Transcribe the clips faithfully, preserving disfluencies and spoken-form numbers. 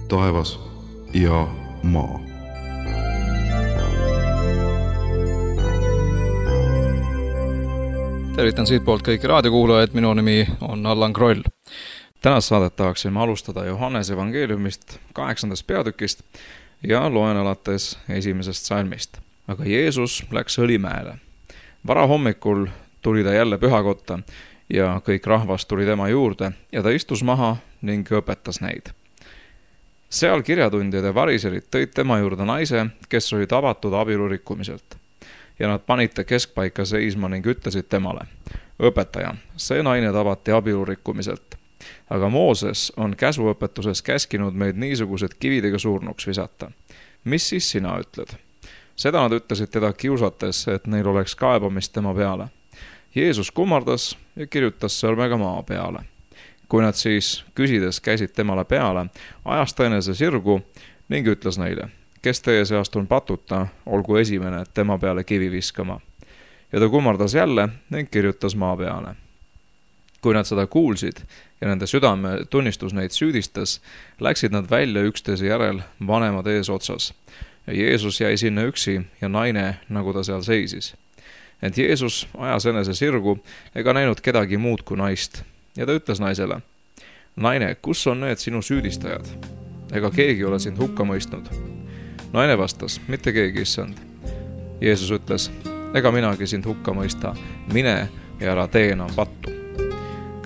taevas ja maa. Tervitan siit poolt kõiki raadiokuulajaid, minu nimi on Allan Kroll. Tänast saadet tahaksime alustada Johannese evangeeliumist kaheksandast peatükist ja loen alates esimesest salmist. Aga Jeesus läks Õlimäele. Varahommikul tuli ta jälle pühakotta ja kõik rahvas tuli tema juurde ja ta istus maha ning õpetas neid. Seal kirjatundjad ja variserid tõid tema juurde naise, kes oli tabatud abielu rikkumiselt. Ja nad panid ta keskpaika seisma ning ütlesid temale: õpetaja, see naine tabati abielu rikkumiselt. Aga Mooses on käsuõpetuses käskinud meid niisugused kividega surnuks visata. Mis siis sina ütled? Seda nad ütlesid teda kiusates, et neil oleks kaebamist tema peale. Jeesus kummardas ja kirjutas sõrmega maa peale. Kui nad siis küsides käisid temale peale, ajas ta enese sirgu ning ütles neile: kes teie seast on patuta, olgu esimene tema peale kivi viskama. Ja ta kummardas jälle ning kirjutas maa peale. Kui nad seda kuulsid ja nende südame tunnistus neid süüdistas, läksid nad välja üksteise järel vanemad ees otsas. Ja Jeesus jäi sinna üksi ja naine, nagu ta seal seisis. Ent Jeesus ajas enese sirgu ega näinud kedagi muud kui naist. Ja ta ütles naisele: naine, kus on need sinu süüdistajad? Ega keegi ole sind hukka mõistnud. Naine vastas: mitte keegi, issand. Jeesus ütles: ega minagi sind hukka mõista, mine ja ära tee enam pattu.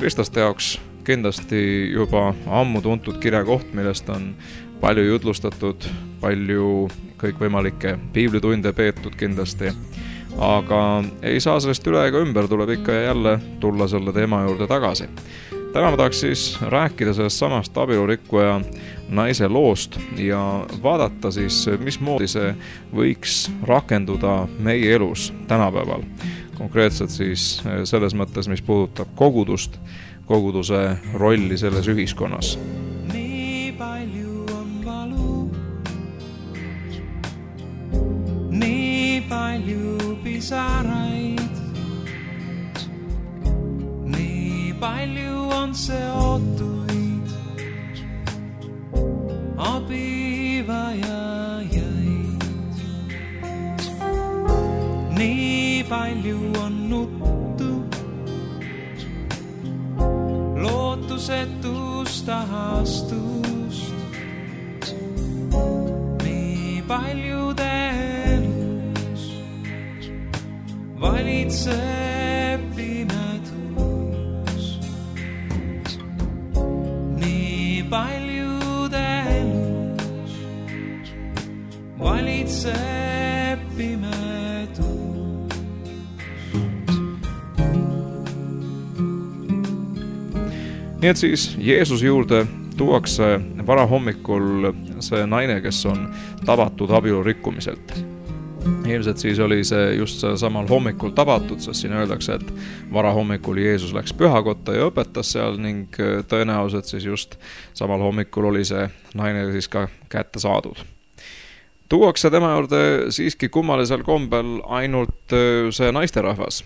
Kristlaste jaoks kindlasti juba ammu tuntud kirjakoht, millest on palju jutlustatud, palju kõikvõimalikke piiblitunde peetud kindlasti, aga ei saa sellest üle ega ümber, tuleb ikka ja jälle tulla selle teema juurde tagasi. Täna ma tahaks siis rääkida sellest samast abielurikkuja naise loost ja vaadata siis, mismoodi see võiks rakenduda meie elus tänapäeval. Konkreetselt siis selles mõttes, mis puudutab kogudust, koguduse rolli selles ühiskonnas. Nii palju on valu, nii palju pisaraid, nii palju on seotuid abivajajaid, nii palju on nuttu, lootusetust ahastust, nii paljude elus valitseb pimedus, nii paljude elus valitseb pimedus. Nii et siis Jeesuse juurde tuuakse varahommikul see naine, kes on tabatud abielu rikkumiselt. Ilmselt siis oli see just samal hommikul tabatud, sest siin öeldakse, et varahommikul Jeesus läks pühakotta ja õpetas seal ning tõenäoliselt siis just samal hommikul oli see naine siis ka kätte saadud. Tuuakse tema juurde siiski kummalisel kombel ainult see naisterahvas.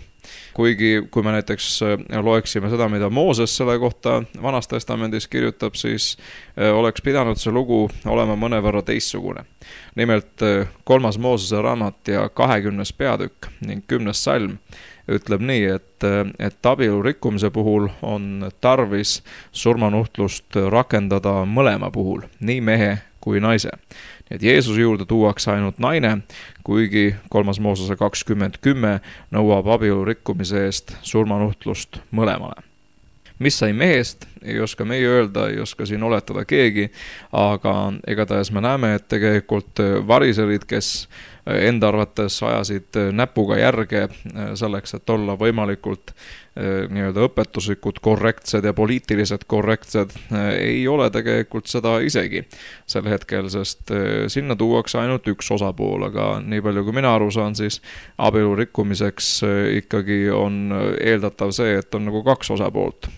Kuigi, kui me näiteks loeksime seda, mida Mooses selle kohta Vanas Testamendis kirjutab, siis oleks pidanud see lugu olema mõnevõrra teistsugune. Nimelt kolmas Moosese raamat ja kahekümnes peatükk ning kümnes salm ütleb nii, et, et abielu rikkumise puhul on tarvis surmanuhtlust rakendada mõlema puhul, nii mehe kui naise. Nii et Jeesuse juurde tuuakse ainult naine, kuigi kolmas Moosese kakskümmend kümme nõuab abielu rikkumise eest surmanuhtlust mõlemale. Mis sai mehest, ei oska meie öelda, ei oska siin oletada keegi, aga igatahes me näeme, et tegelikult variserid, kes enda arvates ajasid näpuga järge selleks, et olla võimalikult nii-öelda õpetuslikud korrektsed ja poliitilised korrektsed, ei ole tegelikult seda isegi sel hetkel, sest sinna tuuakse ainult üks osapool, aga nii palju kui mina aru saan, siis abielu rikkumiseks ikkagi on eeldatav see, et on nagu kaks osapoolt.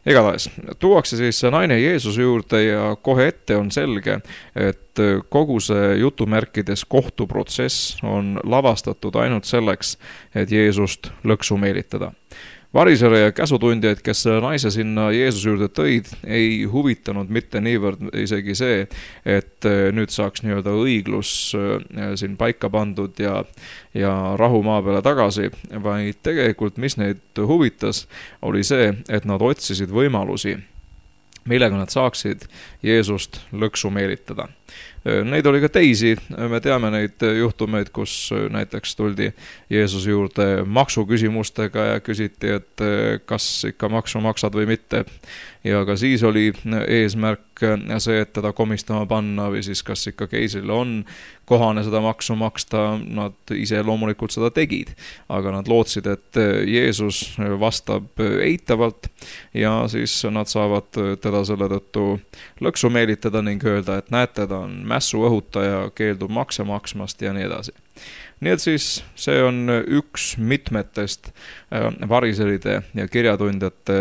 Igatahes, tuuakse siis naine Jeesuse juurde ja kohe ette on selge, et kogu see jutumärkides kohtuprotsess on lavastatud ainult selleks, et Jeesust lõksu meelitada. Varisere ja käsutundjaid, kes selle naise sinna Jeesuse juurde tõid, ei huvitanud mitte niivõrd isegi see, et nüüd saaks nii-öelda õiglus siin paika pandud ja, ja rahu maa peale tagasi, vaid tegelikult mis neid huvitas, oli see, et nad otsisid võimalusi, millega nad saaksid Jeesust lõksu meelitada. Neid oli ka teisi, me teame neid juhtumeid, kus näiteks tuldi Jeesuse juurde maksuküsimustega ja küsiti, et kas ikka maksu maksad või mitte. Ja ka siis oli eesmärk see, et teda komistama panna või siis kas ikka keisrile on kohane seda maksu maksta, nad ise loomulikult seda tegid. Aga nad lootsid, et Jeesus vastab eitavalt ja siis nad saavad teda selle tõttu lõksu meelitada ning öelda, et näete, ta on mässu õhutaja, keeldub makse maksmast ja nii edasi. Nii et siis see on üks mitmetest variseride ja kirjatundjate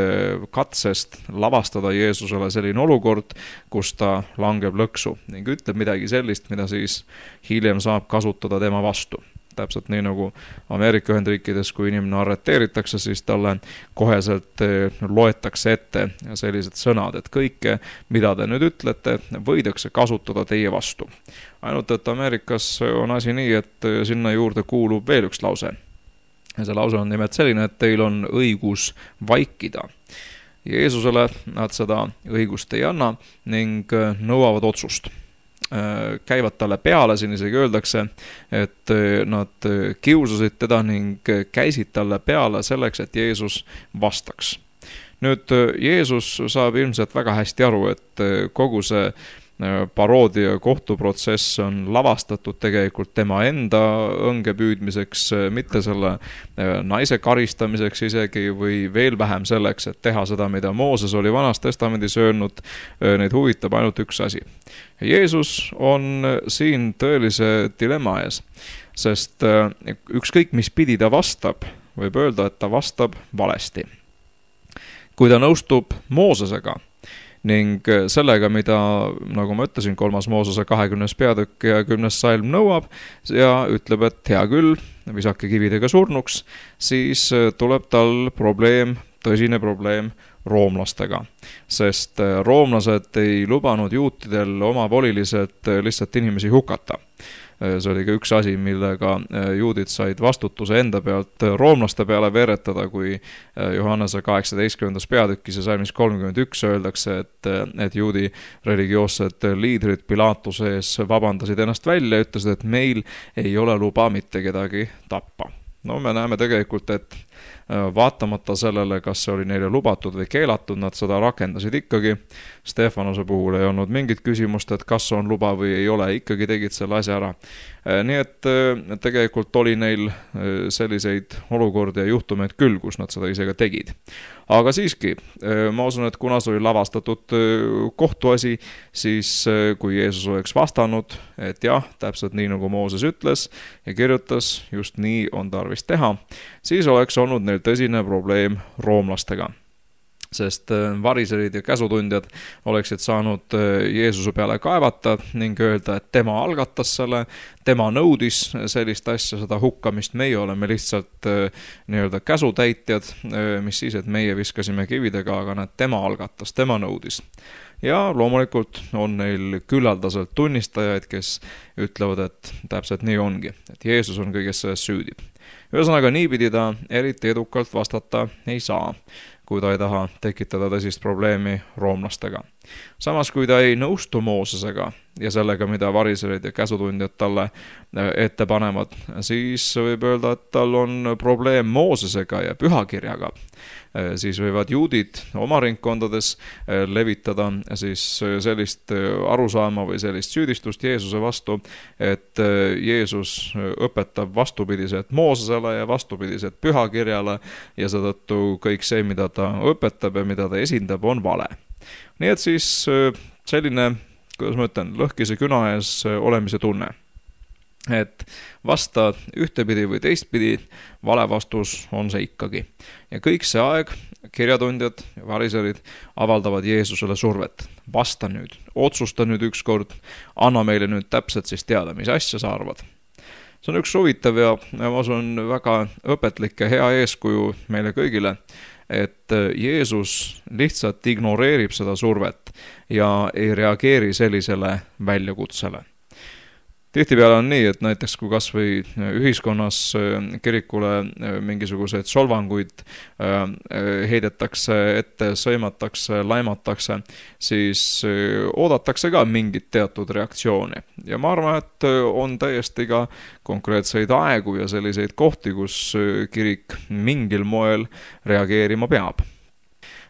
katsest lavastada Jeesusele selline olukord, kus ta langeb lõksu ning ütleb midagi sellist, mida siis hiljem saab kasutada tema vastu. Täpselt nii nagu Ameerika Ühendriikides, kui inimene arreteeritakse, siis talle koheselt loetakse ette sellised sõnad, et kõike, mida te nüüd ütlete, võidakse kasutada teie vastu. Ainult, et Ameerikas on asi nii, et sinna juurde kuulub veel üks lause. Ja see lause on nimelt selline, et teil on õigus vaikida. Jeesusele nad seda õigust ei anna ning nõuavad otsust. Käivad talle peale, siin isegi öeldakse, et nad kiusasid teda ning käisid talle peale selleks, et Jeesus vastaks. Nüüd Jeesus saab ilmselt väga hästi aru, et kogu see paroodia kohtuprotsess on lavastatud tegelikult tema enda õnge püüdmiseks, mitte selle naise karistamiseks isegi või veel vähem selleks, et teha seda, mida Mooses oli Vanas Testamendis öelnud, neid huvitab ainult üks asi. Jeesus on siin tõelise dilemma ees, sest ükskõik mis pidi ta vastab, võib öelda, et ta vastab valesti. Kui ta nõustub Moosesega, ning sellega, mida, nagu ma ütlesin, kolmas Moosese kahekümnes peatükk ja kümnes salm nõuab ja ütleb, et hea küll, visake kividega surnuks, siis tuleb tal probleem, tõsine probleem roomlastega. Sest roomlased ei lubanud juutidel omavoliliselt lihtsalt inimesi hukata. See oli ka üks asi, millega juudid said vastutuse enda pealt roomlaste peale veeretada, kui Johannese kaheksateistkümnendas peatükis ja salmis kolmkümmend üks öeldakse, et, et juudi religioossed liidrid Pilaatuse ees vabandasid ennast välja ja ütlesid, et meil ei ole luba mitte kedagi tappa. No me näeme tegelikult, et vaatamata sellele, kas see oli neile lubatud või keelatud, nad seda rakendasid ikkagi. Stefanose puhul ei olnud mingit küsimust, et kas on luba või ei ole, ikkagi tegid selle asja ära. Nii et tegelikult oli neil selliseid olukordi ja juhtumeid küll, kus nad seda ise ka tegid. Aga siiski, ma usun, et kuna see oli lavastatud kohtuasi, siis kui Jeesus oleks vastanud, et jah, täpselt nii nagu Mooses ütles ja kirjutas, just nii on tarvis teha, siis oleks olnud neil tõsine probleem roomlastega. Sest variserid ja käsutundjad oleksid saanud Jeesuse peale kaevata ning öelda, et tema algatas selle, tema nõudis sellist asja, seda hukkamist, meie oleme lihtsalt nii-öelda käsutäitjad, mis siis, et meie viskasime kividega, aga näed, tema algatas, tema nõudis. Ja loomulikult on neil küllaldaselt tunnistajaid, kes ütlevad, et täpselt nii ongi, et Jeesus on kõiges selles süüdi. Ühesõnaga, niipidi ta eriti edukalt vastata ei saa, kui ta ei taha tekitada tõsist probleemi roomlastega. Samas, kui ta ei nõustu Moosesega ja sellega, mida variserid ja käsutundjad talle ette panevad, siis võib öelda, et tal on probleem Moosesega ja pühakirjaga. Siis võivad juudid oma ringkondades levitada siis sellist arusaama või sellist süüdistust Jeesuse vastu, et Jeesus õpetab vastupidiselt Moosesele ja vastupidiselt pühakirjale ja seetõttu kõik see, mida ta õpetab ja mida ta esindab, on vale. Nii et siis selline, kuidas ma ütlen, lõhkise küna ees olemise tunne. Et vasta ühtepidi või teistpidi, vale vastus on see ikkagi. Ja kõik see aeg kirjatundjad ja variserid avaldavad Jeesusele survet. Vasta nüüd, otsusta nüüd ükskord, anna meile nüüd täpselt siis teada, mis asja sa arvad. see on üks huvitav ja ma usun väga õpetlik ja hea eeskuju meile kõigile, et Jeesus lihtsalt ignoreerib seda survet ja ei reageeri sellisele väljakutsele. Tihtipeale on nii, et näiteks kui kas või ühiskonnas kirikule mingisuguseid solvanguid heidetakse ette, sõimatakse, laimatakse, siis oodatakse ka mingit teatud reaktsiooni. Ja ma arvan, et on täiesti ka konkreetseid aegu ja selliseid kohti, kus kirik mingil moel reageerima peab.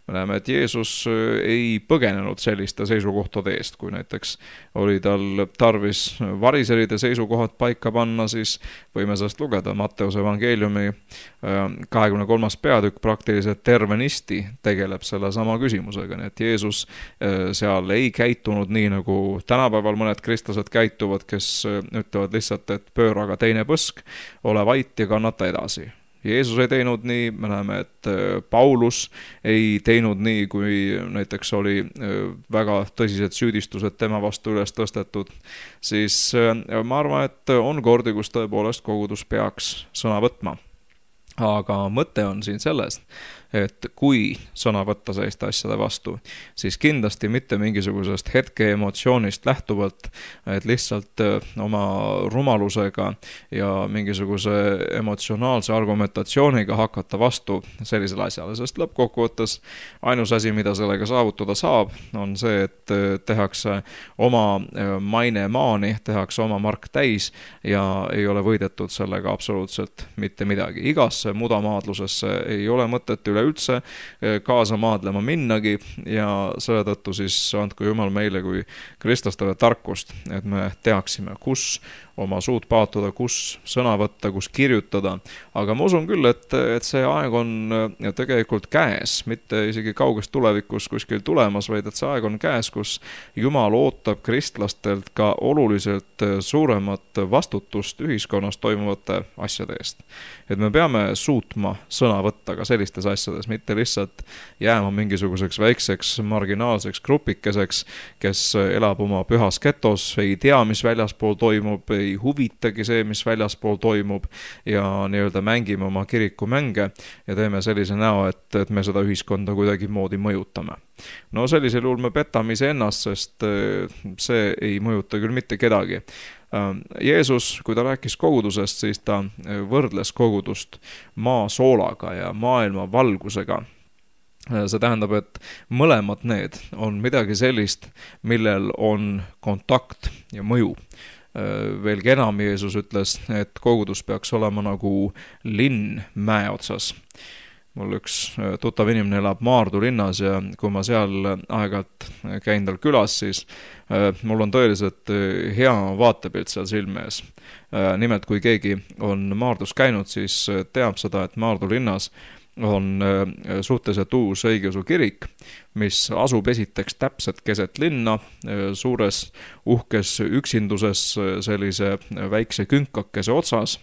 Me näeme, et Jeesus ei põgenenud selliste seisukohtade eest, kui näiteks oli tal tarvis variseride seisukohad paika panna, siis võime sellest lugeda Matteuse evangeeliumi kahekümne kolmas peatükk praktiliselt tervenisti tegeleb selle sama küsimusega, nii et Jeesus seal ei käitunud nii, nagu tänapäeval mõned kristlased käituvad, kes ütlevad lihtsalt, et pööra aga teine põsk, ole vait ja kannata edasi. Jeesus ei teinud nii, me näeme, et Paulus ei teinud nii, kui näiteks oli väga tõsised süüdistused tema vastu üles tõstetud, siis ma arvan, et on kordi, kus tõepoolest kogudus peaks sõna võtma. Aga mõte on siin sellest, et kui sõna võtta selliste asjade vastu, siis kindlasti mitte mingisugusest hetke emotsioonist lähtuvalt, et lihtsalt oma rumalusega ja mingisuguse emotsionaalse argumentatsiooniga hakata vastu sellisele asjale, sest lõppkokkuvõttes ainus asi, mida sellega saavutada saab, on see, et tehakse oma maine maani, tehakse oma mark täis ja ei ole võidetud sellega absoluutselt mitte midagi. Igasse mudamaadlusesse ei ole mõtet üle üldse kaasa maadlema minnagi ja selle tõttu siis andku Jumal meile kui kristlastele tarkust, et me teaksime, kus oma suud paatuda, kus sõna võtta, kus kirjutada. Aga ma usun küll, et, et see aeg on tegelikult käes, mitte isegi kaugest tulevikus kuskil tulemas, vaid et see aeg on käes, kus Jumal ootab kristlastelt ka oluliselt suuremat vastutust ühiskonnas toimuvate asjade eest. Et me peame suutma sõna võtta ka sellistes asjades, mitte lihtsalt jääma mingisuguseks väikseks marginaalseks grupikeseks, kes elab oma pühas getos, ei tea, mis väljaspool toimub, ei huvitagi see, mis väljaspool toimub ja nii-öelda mängime oma kirikumänge ja teeme sellise näo, et, et me seda ühiskonda kuidagi moodi mõjutame. No sellisel juhul me petame iseennast, sest see ei mõjuta küll mitte kedagi. Jeesus, kui ta rääkis kogudusest, siis ta võrdles kogudust maa soolaga ja maailma valgusega. See tähendab, et mõlemad need on midagi sellist, millel on kontakt ja mõju. Veelgi enam Jeesus ütles, et kogudus peaks olema nagu linn mäe otsas. Mul üks tuttav inimene elab Maardu linnas ja kui ma seal aegalt käin tal külas, siis mul on tõeliselt hea vaatepilt seal silme ees. Nimelt, kui keegi on Maardus käinud, siis teab seda, et Maardu linnas on suhteliselt uus õigeusu kirik, mis asub esiteks täpselt keset linna, suures uhkes üksinduses sellise väikse künkakese otsas.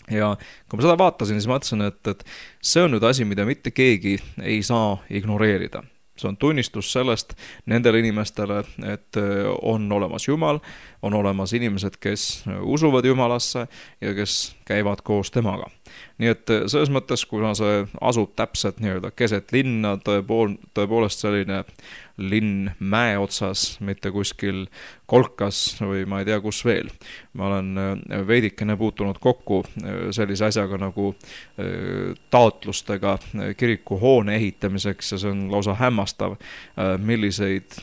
Ja kui ma seda vaatasin, siis mõtlesin, et, et see on nüüd asi, mida mitte keegi ei saa ignoreerida. See on tunnistus sellest nendele inimestele, et on olemas Jumal, on olemas inimesed, kes usuvad Jumalasse ja kes käivad koos temaga. Nii et selles mõttes, kuna see asub täpselt nii-öelda keset linna, tõepool, tõepoolest selline linn mäe otsas, mitte kuskil kolkas või ma ei tea kus veel. Ma olen veidikene puutunud kokku sellise asjaga nagu taotlustega kirikuhoone ehitamiseks ja see on lausa hämmastav, milliseid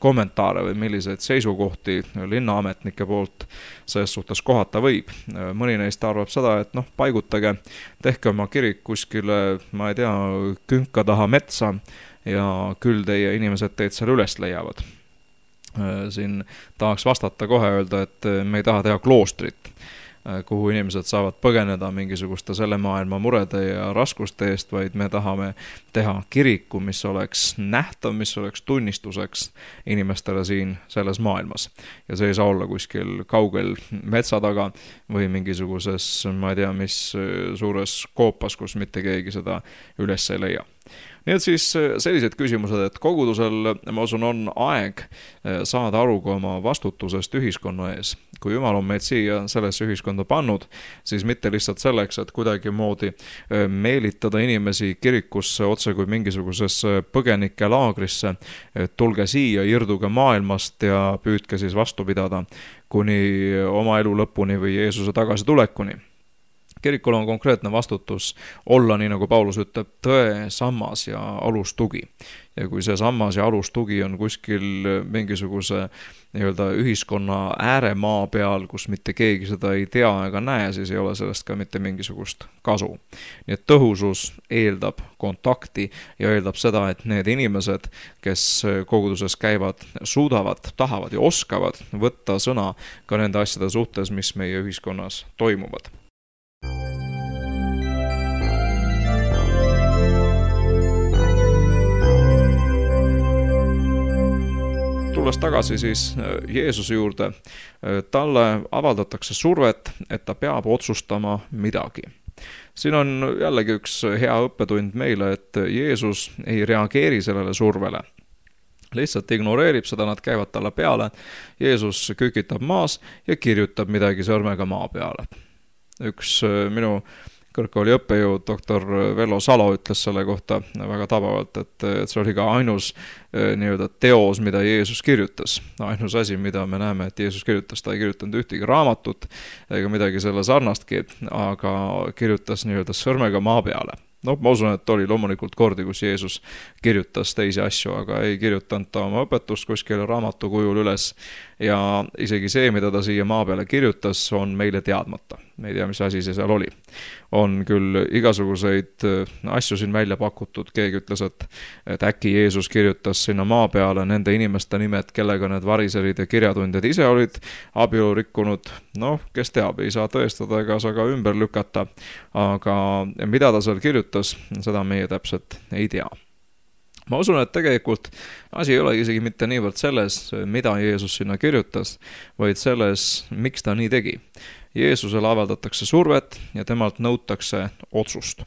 kommentaare või milliseid seisukohti linnaametnike poolt selles suhtes kohata võib. Mõni neist arvab seda, et noh, paigutage, tehke oma kirik kuskile, ma ei tea, künka taha metsa ja küll teie inimesed teid seal üles leiavad. Siin tahaks vastata kohe öelda, et me ei taha teha kloostrit, kuhu inimesed saavad põgeneda mingisuguste selle maailma murede ja raskuste eest, vaid me tahame teha kiriku, mis oleks nähtav, mis oleks tunnistuseks inimestele siin selles maailmas. Ja see ei saa olla kuskil kaugel metsa taga või mingisuguses, ma ei tea, mis suures koopas, kus mitte keegi seda üles ei leia. Nii et siis sellised küsimused, et kogudusel, ma usun, on aeg saada aru ka oma vastutusest ühiskonna ees. Kui Jumal on meid siia sellesse ühiskonda pannud, siis mitte lihtsalt selleks, et kuidagi moodi meelitada inimesi kirikusse otse kui mingisugusesse põgenike laagrisse, et tulge siia, irduge maailmast ja püüdke siis vastu pidada kuni oma elu lõpuni või Jeesuse tagasi tulekuni. Kirikul on konkreetne vastutus olla, nii nagu Paulus ütleb, tõe sammas ja alustugi. Ja kui see sammas ja alustugi on kuskil mingisuguse nii-öelda ühiskonna ääremaa peal, kus mitte keegi seda ei tea ega näe, siis ei ole sellest ka mitte mingisugust kasu. Nii et tõhusus eeldab kontakti ja eeldab seda, et need inimesed, kes koguduses käivad, suudavad, tahavad ja oskavad võtta sõna ka nende asjade suhtes, mis meie ühiskonnas toimuvad. Tulles tagasi siis Jeesuse juurde, talle avaldatakse survet, et ta peab otsustama midagi. Siin on jällegi üks hea õppetund meile, et Jeesus ei reageeri sellele survele. Lihtsalt ignoreerib seda, nad käivad talle peale, Jeesus kükitab maas ja kirjutab midagi sõrmega maa peale. Üks minu kõrgkooli õppejõud, doktor Vello Salo ütles selle kohta väga tabavalt, et see oli ka ainus nii-öelda teos, mida Jeesus kirjutas. Ainus asi, mida me näeme, et Jeesus kirjutas, ta ei kirjutanud ühtegi raamatut ega midagi selle sarnastki, aga kirjutas nii-öelda sõrmega maa peale. No, ma usun, et oli loomulikult kordi, kus Jeesus kirjutas teisi asju, aga ei kirjutanud ta oma õpetust kuskile raamatu kujul üles. Ja isegi see, mida ta siia maa peale kirjutas, on meile teadmata. Me ei tea, mis asi see seal oli. On küll igasuguseid asju siin välja pakutud. Keegi ütles, et, et äkki Jeesus kirjutas sinna maa peale nende inimeste nimed, kellega need variserid ja kirjatundjad ise olid abielu rikkunud. Noh, kes teab, ei saa tõestada ega saa ka ümber lükata. Aga mida ta seal kirjutas, seda meie täpselt ei tea. Ma usun, et tegelikult asi ei ole isegi mitte niivõrd selles, mida Jeesus sinna kirjutas, vaid selles, miks ta nii tegi. Jeesusele avaldatakse survet ja temalt nõutakse otsust.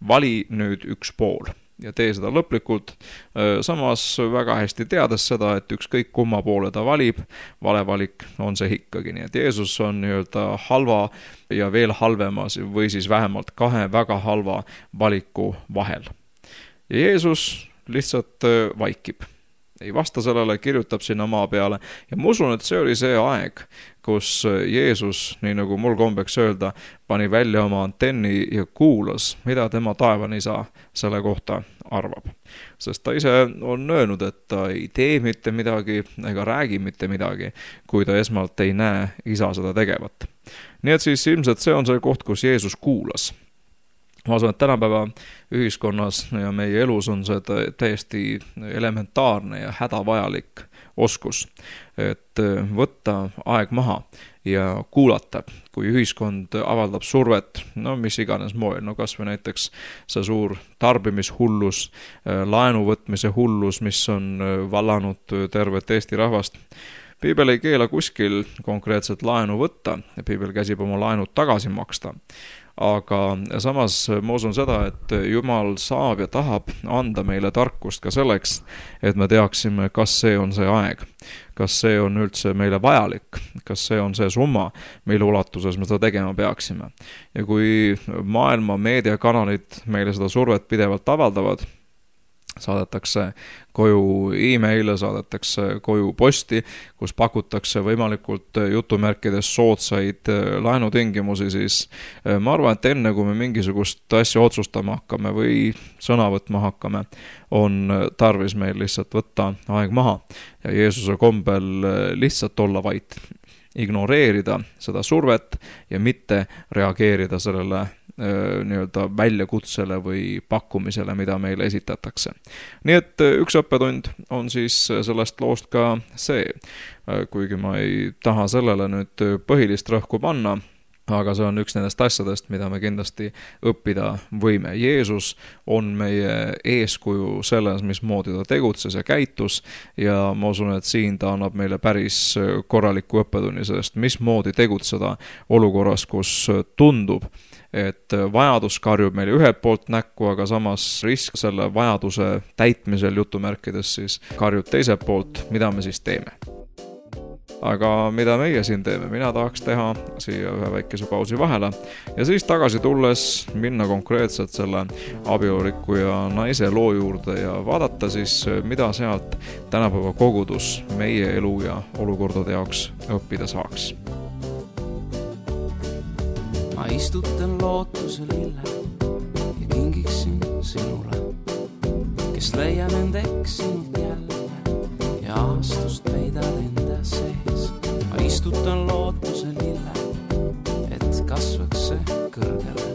Vali nüüd üks pool ja tee seda lõplikult, samas väga hästi teades seda, et ükskõik kumma poole ta valib, valevalik on see ikkagi. Nii et Jeesus on nii-öelda halva ja veel halvemas või siis vähemalt kahe väga halva valiku vahel. Ja Jeesus lihtsalt vaikib. Ei vasta sellele, kirjutab sinna maa peale. Ja ma usun, et see oli see aeg, kus Jeesus, nii nagu mul kombeks öelda, pani välja oma antenni ja kuulas, mida tema taevanisa selle kohta arvab. Sest ta ise on öelnud, et ta ei tee mitte midagi ega räägi mitte midagi, kui ta esmalt ei näe isa seda tegevat. Nii et siis ilmselt see on see koht, kus Jeesus kuulas. Ma usun, et tänapäeva ühiskonnas ja meie elus on see täiesti elementaarne ja hädavajalik oskus, et võtta aeg maha ja kuulata, kui ühiskond avaldab survet, no mis iganes moel, no kas või näiteks see suur tarbimishullus, laenu võtmise hullus, mis on vallanud tervet Eesti rahvast. Piibel ei keela kuskil konkreetselt laenu võtta, Piibel käsib oma laenud tagasi maksta. Aga samas ma usun seda, et Jumal saab ja tahab anda meile tarkust ka selleks, et me teaksime, kas see on see aeg, kas see on üldse meile vajalik, kas see on see summa, mille ulatuses me seda tegema peaksime. Ja kui maailma meediakanalid meile seda survet pidevalt avaldavad, saadetakse koju e-maile, saadetakse koju posti, kus pakutakse võimalikult jutumärkides soodsaid laenutingimusi, siis ma arvan, et enne kui me mingisugust asja otsustama hakkame või sõna võtma hakkame, on tarvis meil lihtsalt võtta aeg maha ja Jeesuse kombel lihtsalt olla vait, ignoreerida seda survet ja mitte reageerida sellele nii-öelda väljakutsele või pakkumisele, mida meile esitatakse. Nii et üks õppetund on siis sellest loost ka see, kuigi ma ei taha sellele nüüd põhilist rõhku panna, aga see on üks nendest asjadest, mida me kindlasti õppida võime. Jeesus on meie eeskuju selles, mismoodi ta tegutses ja käitus ja ma usun, et siin ta annab meile päris korraliku õppetunni sellest, mismoodi tegutseda olukorras, kus tundub, et vajadus karjub meile ühelt poolt näkku, aga samas risk selle vajaduse täitmisel jutumärkides siis karjub teiselt poolt, mida me siis teeme. Aga mida meie siin teeme? Mina tahaks teha siia ühe väikese pausi vahele ja siis tagasi tulles minna konkreetselt selle abielurikkuja naise loo juurde ja vaadata siis, mida sealt tänapäeva kogudus meie elu ja olukordade jaoks õppida saaks. Ma istutan lootuse lille ja kingiksin sinule, kes leiab end eksinud jälle ja aastust peidad enda sees. Ma istutan lootuse lille, et kasvaks see kõrgele,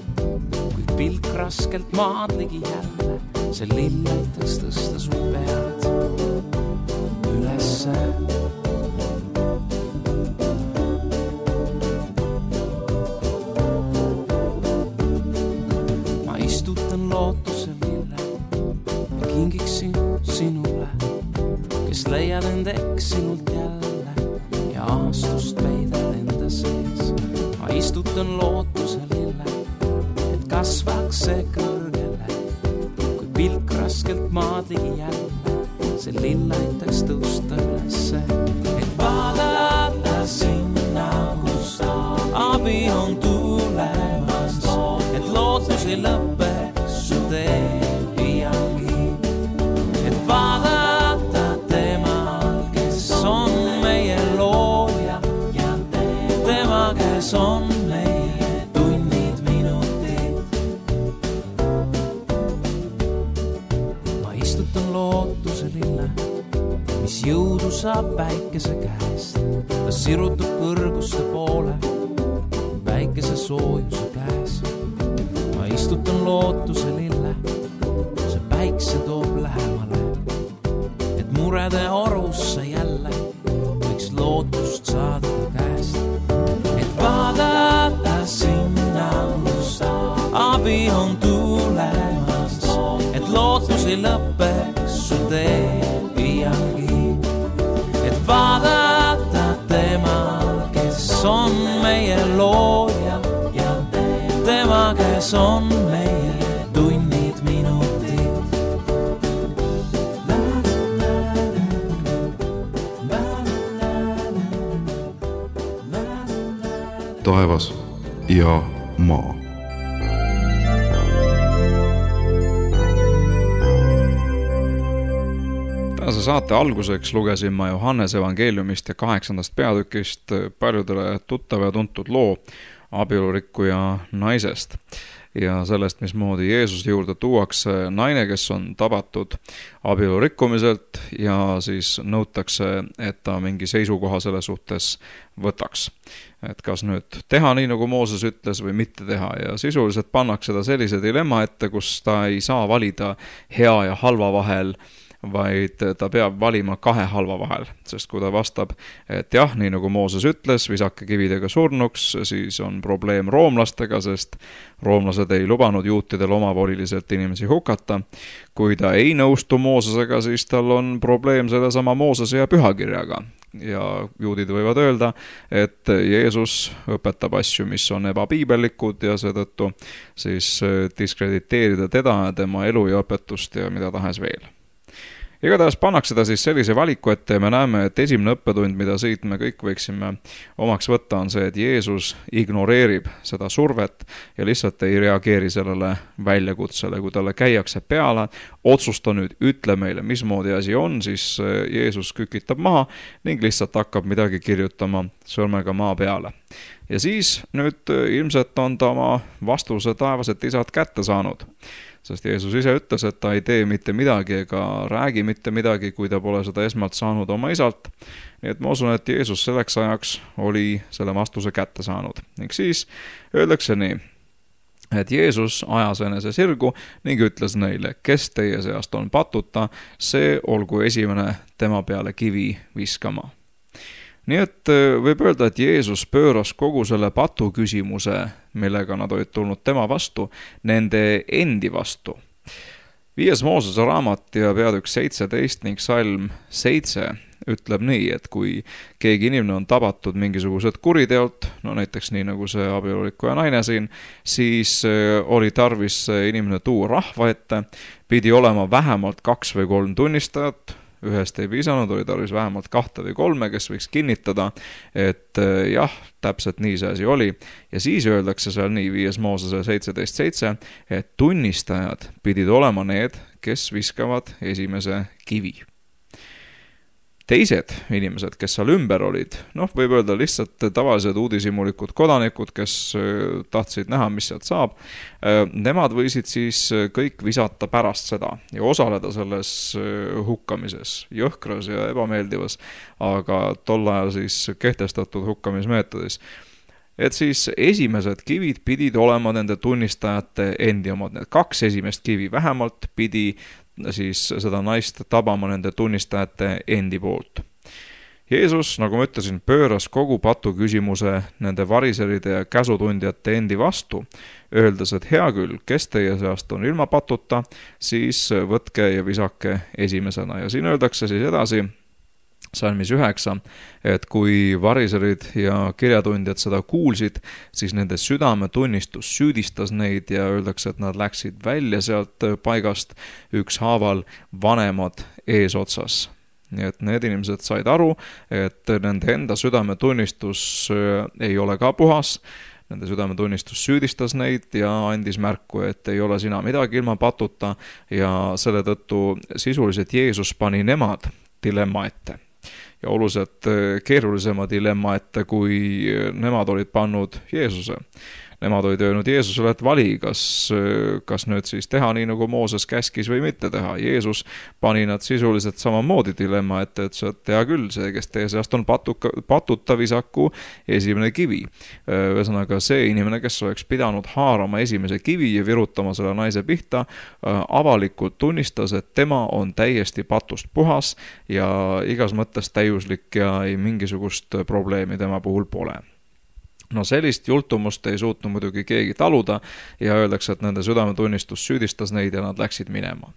kuid pilk raskelt maad ligi jälle, see lill aitaks tõsta su pead ülesse. Ma istutan lootuse lille ja kingiksin sinule, kes leiad end eksinult jälle ja aastust peidad enda sees. Ma istutan lootuse lille, et kasvaks see kõrgele, kui pilk raskelt maad ligi jälle, see lill aitaks tõusta ülesse. Et vaadata sinna, kus abi on tulemas, et lootus ei lõpeks su tee iialgi. Et vaadata on meie tunnid, minutid. Ma istutan lootuse lille, mis jõudu saab päikese käest. Ta sirutab kõrguste poole päikese soojuse käes. Ma istutan lootuse lille, see päikse toob lähemale, et murede orusse jälle võiks lootust saada käest. Vaadata sinna, kus abi on tulemas, et lootus ei lõpeks su tee iialgi. Et vaadata temal, kes on meie looja ja tema, kes on meie tunnid, minutid. Taevas ja maa. Tänase saate alguseks lugesin ma Johannese evangeeliumist ja kaheksandast peatükist paljudele tuttav ja tuntud loo abielurikkuja naisest ja sellest, mismoodi Jeesuse juurde tuuakse naine, kes on tabatud abielurikkumiselt ja siis nõutakse, et ta mingi seisukoha selle suhtes võtaks. Et kas nüüd teha nii, nagu Mooses ütles või mitte teha ja sisuliselt pannakse ta sellise dilemma ette, kus ta ei saa valida hea ja halva vahel, vaid ta peab valima kahe halva vahel, sest kui ta vastab, et jah, nii nagu Mooses ütles, visake kividega surnuks, siis on probleem roomlastega, sest roomlased ei lubanud juutidel omavoliliselt inimesi hukata. Kui ta ei nõustu Moosesega, siis tal on probleem sellesama Moosese ja pühakirjaga. Ja juudid võivad öelda, et Jeesus õpetab asju, mis on ebapiibellikud ja seetõttu siis diskrediteerida teda ja tema elu ja õpetust ja mida tahes veel. Igatahes pannakse ta siis sellise valiku ette ja me näeme, et esimene õppetund, mida siit me kõik võiksime omaks võtta, on see, et Jeesus ignoreerib seda survet ja lihtsalt ei reageeri sellele väljakutsele. Kui talle käiakse peale, otsusta nüüd, ütle meile, mismoodi asi on, siis Jeesus kükitab maha ning lihtsalt hakkab midagi kirjutama sõrmega maa peale. Ja siis nüüd ilmselt on ta oma vastuse taevased isad kätte saanud. Sest Jeesus ise ütles, et ta ei tee mitte midagi ega räägi mitte midagi, kui ta pole seda esmalt saanud oma isalt. Nii et ma usun, et Jeesus selleks ajaks oli selle vastuse kätte saanud. Ning siis öeldakse nii, et Jeesus ajas enese sirgu ning ütles neile, kes teie seast on patuta, see olgu esimene tema peale kivi viskama. Nii et võib öelda, et Jeesus pööras kogu selle patu küsimuse, millega nad olid tulnud tema vastu, nende endi vastu. Viies Moosese raamat ja peatükk seitseteist ning salm seitse ütleb nii, et kui keegi inimene on tabatud mingisugused kuriteolt, no näiteks nii nagu see abieluliku ja naine siin, siis oli tarvis see inimene tuua rahva ette, pidi olema vähemalt kaks või kolm tunnistajat, ühest ei piisanud, oli tarvis vähemalt kahte või kolme, kes võiks kinnitada, et jah, täpselt nii see asi oli. Ja siis öeldakse seal nii viies Moosese seitseteist seitse, et tunnistajad pidid olema need, kes viskavad esimese kivi. Teised inimesed, kes seal ümber olid, noh, võib öelda lihtsalt tavalised uudishimulikud kodanikud, kes tahtsid näha, mis sealt saab, nemad võisid siis kõik visata pärast seda ja osaleda selles hukkamises, jõhkras ja ebameeldivas, aga tol ajal siis kehtestatud hukkamismeetodis. Et siis esimesed kivid pidid olema nende tunnistajate endi omad, need kaks esimest kivi vähemalt pidi siis seda naist tabama nende tunnistajate endi poolt. Jeesus, nagu ma ütlesin, pööras kogu patu küsimuse nende variseride ja käsutundjate endi vastu, öeldes, et hea küll, kes teie seast on ilma patuta, siis võtke ja visake esimesena. Ja siin öeldakse siis edasi, salmis üheksa, et kui variserid ja kirjatundjad seda kuulsid, siis nende südametunnistus süüdistas neid ja öeldakse, et nad läksid välja sealt paigast ükshaaval vanemad eesotsas. Nii et need inimesed said aru, et nende enda südametunnistus ei ole ka puhas, nende südametunnistus süüdistas neid ja andis märku, et ei ole sina midagi ilma patuta ja selle tõttu sisuliselt Jeesus pani nemad dilemma ette. Ja oluliselt keerulisema dilemma ette, kui nemad olid pannud Jeesuse. Nemad olid öelnud Jeesusele, et vali, kas, kas nüüd siis teha nii, nagu Mooses käskis või mitte teha. Jeesus pani nad sisuliselt samamoodi dilemma ette, et see tea küll, see, kes teie seast on patuka, patuta visaku esimene kivi. Ühesõnaga see inimene, kes oleks pidanud haarama esimese kivi ja virutama selle naise pihta, avalikult tunnistas, et tema on täiesti patust puhas ja igas mõttes täiuslik ja ei mingisugust probleemi tema puhul pole. No sellist jultumust ei suutnud muidugi keegi taluda ja öeldakse, et nende südametunnistus süüdistas neid ja nad läksid minema.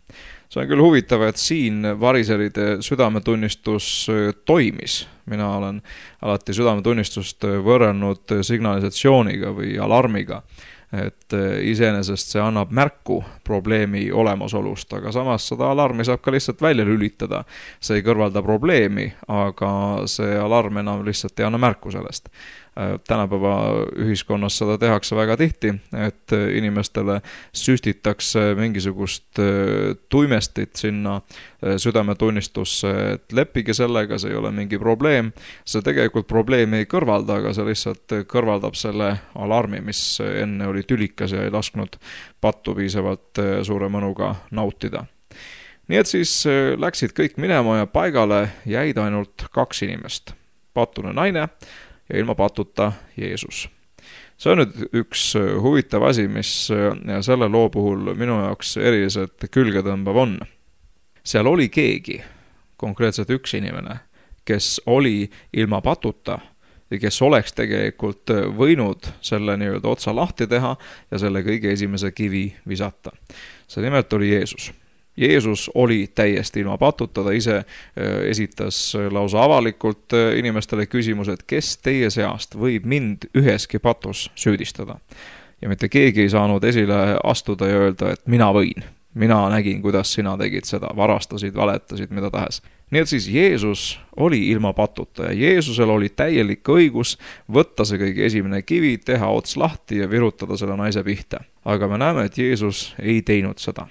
See on küll huvitav, et siin variseride südametunnistus toimis. Mina olen alati südametunnistust võrrelnud signalisatsiooniga või alarmiga, et iseenesest see annab märku probleemi olemasolust, aga samas seda alarmi saab ka lihtsalt välja lülitada. See ei kõrvalda probleemi, aga see alarm enam lihtsalt ei anna märku sellest. Tänapäeva ühiskonnas seda tehakse väga tihti, et inimestele süstitakse mingisugust tuimestit sinna südametunnistusse, et leppige sellega, see ei ole mingi probleem. See tegelikult probleemi ei kõrvalda, aga see lihtsalt kõrvaldab selle alarmi, mis enne oli tülikas ja ei lasknud pattu piisavalt suure mõnuga nautida. Nii et siis läksid kõik minema ja paigale jäid ainult kaks inimest. Patune naine ja ilma patuta Jeesus. See on nüüd üks huvitav asi, mis selle loo puhul minu jaoks eriliselt külge tõmbav on. Seal oli keegi, konkreetselt üks inimene, kes oli ilma patuta ja kes oleks tegelikult võinud selle nii-öelda otsa lahti teha ja selle kõige esimese kivi visata. See nimelt oli Jeesus. Jeesus oli täiesti ilma patuta, ta ise esitas lausa avalikult inimestele küsimused, kes teie seast võib mind üheski patus süüdistada. Ja mitte keegi ei saanud esile astuda ja öelda, et mina võin. Mina nägin, kuidas sina tegid seda, varastasid, valetasid, mida tahes. Nii et siis Jeesus oli ilma patuta ja Jeesusel oli täielik õigus võtta see kõige esimene kivi, teha ots lahti ja virutada selle naise pihta. Aga me näeme, et Jeesus ei teinud seda.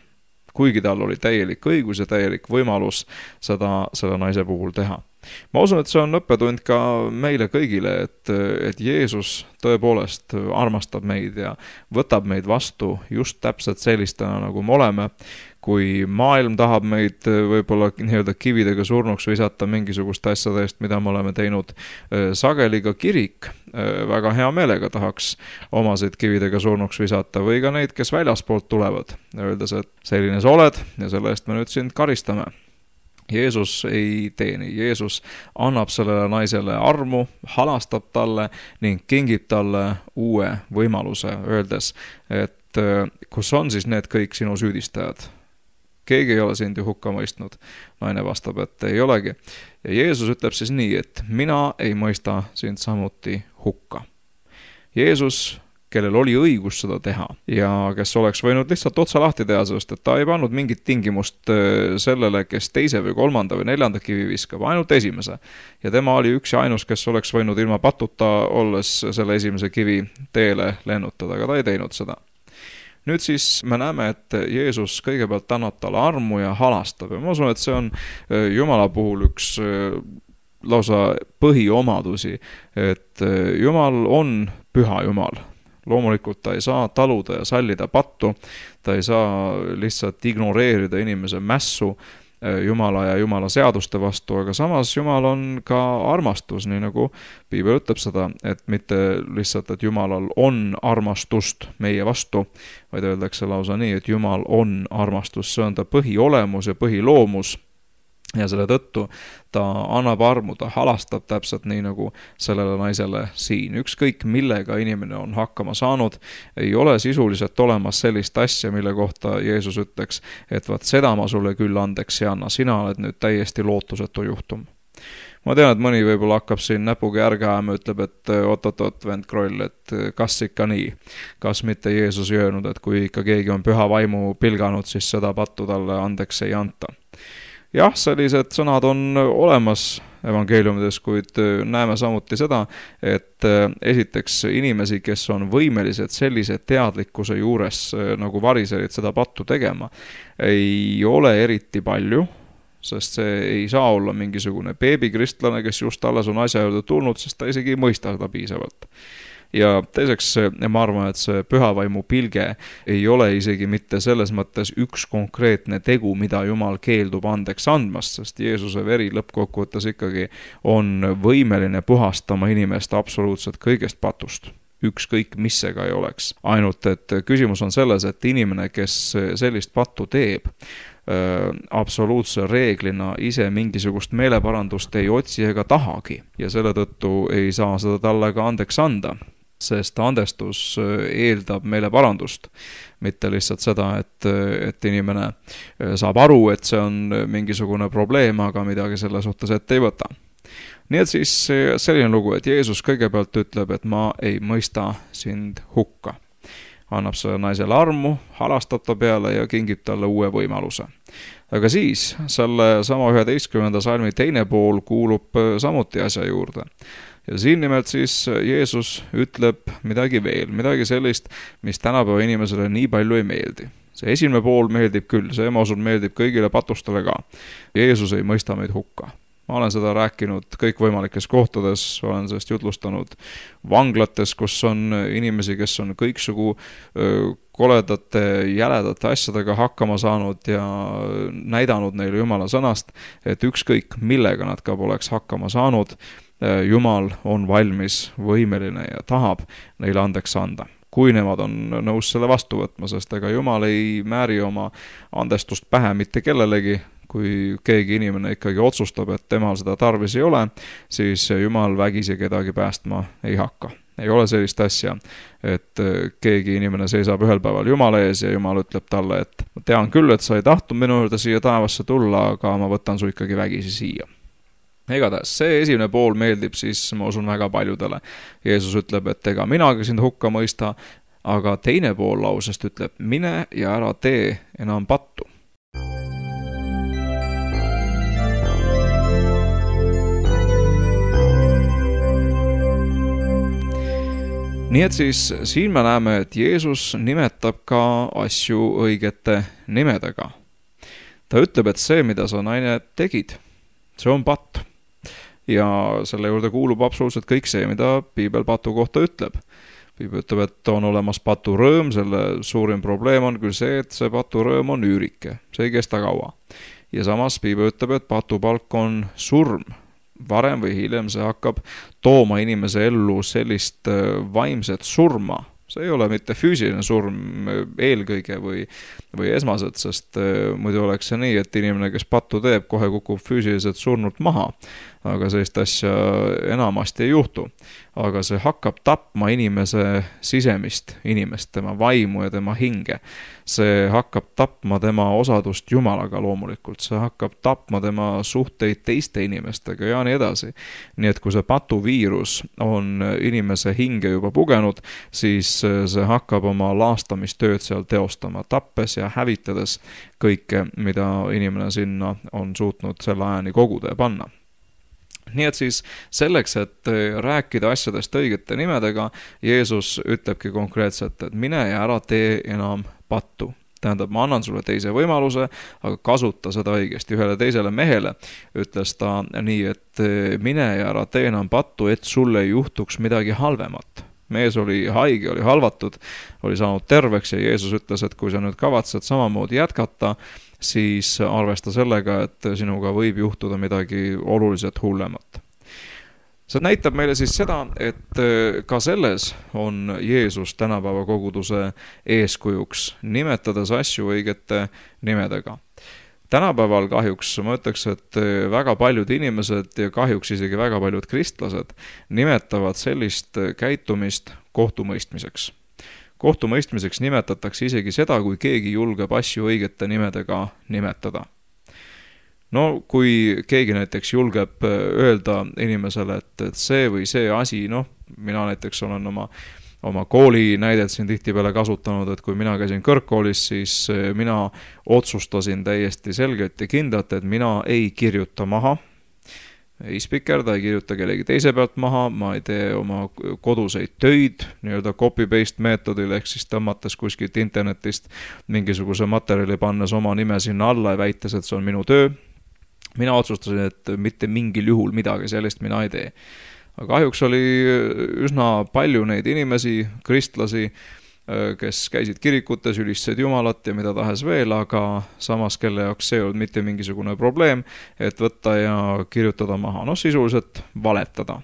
Kuigi tal oli täielik õigus ja täielik võimalus seda selle naise puhul teha. Ma usun, et see on õppetund ka meile kõigile, et, et Jeesus tõepoolest armastab meid ja võtab meid vastu just täpselt sellistena, nagu me oleme. Kui maailm tahab meid võib-olla nii-öelda kividega surnuks visata mingisugust asjadest, mida me oleme teinud sageli, ka kirik väga hea meelega tahaks omasid kividega surnuks visata või ka neid, kes väljaspoolt tulevad, öeldes, et selline sa oled ja selle eest me nüüd sind karistame. Jeesus ei tee nii. Jeesus annab sellele naisele armu, halastab talle ning kingib talle uue võimaluse, öeldes, et kus on siis need kõik sinu süüdistajad? keegi ei ole sind ju hukka mõistnud. Naine vastab, et ei olegi. Ja Jeesus ütleb siis nii, et mina ei mõista sind samuti hukka. Jeesus, kellel oli õigus seda teha ja kes oleks võinud lihtsalt otsa lahti teha, sest et ta ei pannud mingit tingimust sellele, kes teise või kolmanda või neljanda kivi viskab, ainult esimese. Ja tema oli üks ja ainus, kes oleks võinud ilma patuta olles selle esimese kivi teele lennutada, aga ta ei teinud seda. Nüüd siis me näeme, et Jeesus kõigepealt annab talle armu ja halastab ja ma usun, et see on Jumala puhul üks lausa põhiomadusi, et Jumal on püha Jumal. Loomulikult ta ei saa taluda ja sallida pattu, ta ei saa lihtsalt ignoreerida inimese mässu Jumala ja Jumala seaduste vastu, aga samas Jumal on ka armastus, nii nagu Piibel ütleb seda, et mitte lihtsalt, et Jumalal on armastust meie vastu, vaid öeldakse lausa nii, et Jumal on armastus, see on ta põhiolemus ja põhiloomus. Ja selle tõttu ta annab armu, ta halastab täpselt nii nagu sellele naisele siin. Ükskõik millega inimene on hakkama saanud, ei ole sisuliselt olemas sellist asja, mille kohta Jeesus ütleks, et vaat seda ma sulle küll andeks ei anna, sina oled nüüd täiesti lootusetu juhtum. Ma tean, et mõni võib-olla hakkab siin näpuga järge ajama, ütleb, et oot-oot-oot, vend Kroll, et kas ikka nii? Kas mitte Jeesus öelnud, et kui ikka keegi on püha vaimu pilganud, siis seda pattu talle andeks ei anta. Jah, sellised sõnad on olemas evangeeliumides, kuid näeme samuti seda, et esiteks inimesi, kes on võimelised sellise teadlikkuse juures nagu variserid seda pattu tegema, ei ole eriti palju, sest see ei saa olla mingisugune beebikristlane, kes just alles on asja juurde tulnud, sest ta isegi ei mõista seda piisavalt. Ja teiseks ma arvan, et see pühavaimu pilge ei ole isegi mitte selles mõttes üks konkreetne tegu, mida Jumal keeldub andeks andmast, sest Jeesuse veri lõppkokkuvõttes ikkagi on võimeline puhastama inimest absoluutselt kõigest patust. Ükskõik mis see ka ei oleks. Ainult, et küsimus on selles, et inimene, kes sellist pattu teeb, absoluutse reeglina ise mingisugust meeleparandust ei otsi ega tahagi ja selle tõttu ei saa seda talle ka andeks anda, sest andestus eeldab meile parandust, mitte lihtsalt seda, et, et inimene saab aru, et see on mingisugune probleem, aga midagi selle suhtes ette ei võta. Nii et siis selline lugu, et Jeesus kõigepealt ütleb, et ma ei mõista sind hukka. Annab selle naisele armu, halastab ta peale ja kingib talle uue võimaluse. Aga siis selle sama üheteistkümnenda salmi teine pool kuulub samuti asja juurde. Ja siin nimelt siis Jeesus ütleb midagi veel, midagi sellist, mis tänapäeva inimesele nii palju ei meeldi. See esimene pool meeldib küll, see ma usun meeldib kõigile patustele ka. Jeesus ei mõista meid hukka. Ma olen seda rääkinud kõikvõimalikes kohtades, olen sellest jutlustanud vanglates, kus on inimesi, kes on kõiksugu koledate, jäledate asjadega hakkama saanud ja näidanud neile Jumala sõnast, et ükskõik millega nad ka poleks hakkama saanud, Jumal on valmis, võimeline ja tahab neile andeks anda. Kui nemad on nõus selle vastu võtma, sest ega Jumal ei määri oma andestust pähe mitte kellelegi. Kui keegi inimene ikkagi otsustab, et temal seda tarvis ei ole, siis Jumal vägisi kedagi päästma ei hakka. Ei ole sellist asja, et keegi inimene seisab ühel päeval Jumala ees ja Jumal ütleb talle, et ma tean küll, et sa ei tahtnud minu juurde siia taevasse tulla, aga ma võtan su ikkagi vägisi siia. Igatahes, see esimene pool meeldib siis, ma usun, väga paljudele. Jeesus ütleb, et ega minagi sind hukka mõista, aga teine pool lausest ütleb, mine ja ära tee enam pattu. Nii et siis siin me näeme, et Jeesus nimetab ka asju õigete nimedega. Ta ütleb, et see, mida sa naine tegid, see on patt. Ja selle juurde kuulub absoluutselt kõik see, mida Piibel patu kohta ütleb. Piibel ütleb, et on olemas paturõõm, selle suurim probleem on küll see, et see paturõõm on üürike, see ei kesta kaua. Ja samas Piibel ütleb, et patupalk on surm. Varem või hiljem see hakkab tooma inimese ellu sellist vaimset surma, See ei ole mitte füüsiline surm eelkõige või, või esmaselt, sest muidu oleks see nii, et inimene, kes pattu teeb, kohe kukub füüsiliselt surnult maha. Aga sellist asja enamasti ei juhtu. Aga see hakkab tapma inimese sisemist inimest, tema vaimu ja tema hinge. See hakkab tapma tema osadust Jumalaga loomulikult. See hakkab tapma tema suhteid teiste inimestega ja nii edasi. Nii et kui see patuviirus on inimese hinge juba pugenud, siis see hakkab oma laastamistööd seal teostama, tappes ja hävitades kõike, mida inimene sinna on suutnud selle ajani koguda ja panna. Nii et siis selleks, et rääkida asjadest õigete nimedega, Jeesus ütlebki konkreetselt, et mine ja ära tee enam pattu. Tähendab, ma annan sulle teise võimaluse, aga kasuta seda õigesti. Ühele teisele mehele ütles ta nii, et mine ja ära tee enam pattu, et sulle ei juhtuks midagi halvemat. Mees oli haige, oli halvatud, oli saanud terveks ja Jeesus ütles, et kui sa nüüd kavatsed samamoodi jätkata, siis arvesta sellega, et sinuga võib juhtuda midagi oluliselt hullemat. See näitab meile siis seda, et ka selles on Jeesus tänapäeva koguduse eeskujuks, nimetades asju õigete nimedega. Tänapäeval kahjuks ma ütleks, et väga paljud inimesed ja kahjuks isegi väga paljud kristlased nimetavad sellist käitumist kohtumõistmiseks. Kohtumõistmiseks nimetatakse isegi seda, kui keegi julgeb asju õigete nimedega nimetada. No kui keegi näiteks julgeb öelda inimesele, et, et see või see asi, noh, mina näiteks olen oma oma kooli näidet siin tihtipeale kasutanud, et kui mina käisin kõrgkoolis, siis mina otsustasin täiesti selgelt ja kindlalt, et mina ei kirjuta maha, ei spikerda, ei kirjuta kellegi teise pealt maha, ma ei tee oma koduseid töid, nii-öelda copy-paste meetodil, ehk siis tõmmates kuskilt internetist mingisuguse materjali pannes oma nime sinna alla ja väites, et see on minu töö. Mina otsustasin, et mitte mingil juhul midagi sellist mina ei tee. Aga kahjuks oli üsna palju neid inimesi, kristlasi, kes käisid kirikutes, ülistasid Jumalat ja mida tahes veel, aga samas kelle jaoks see ei olnud mitte mingisugune probleem, et võtta ja kirjutada maha, noh sisuliselt valetada.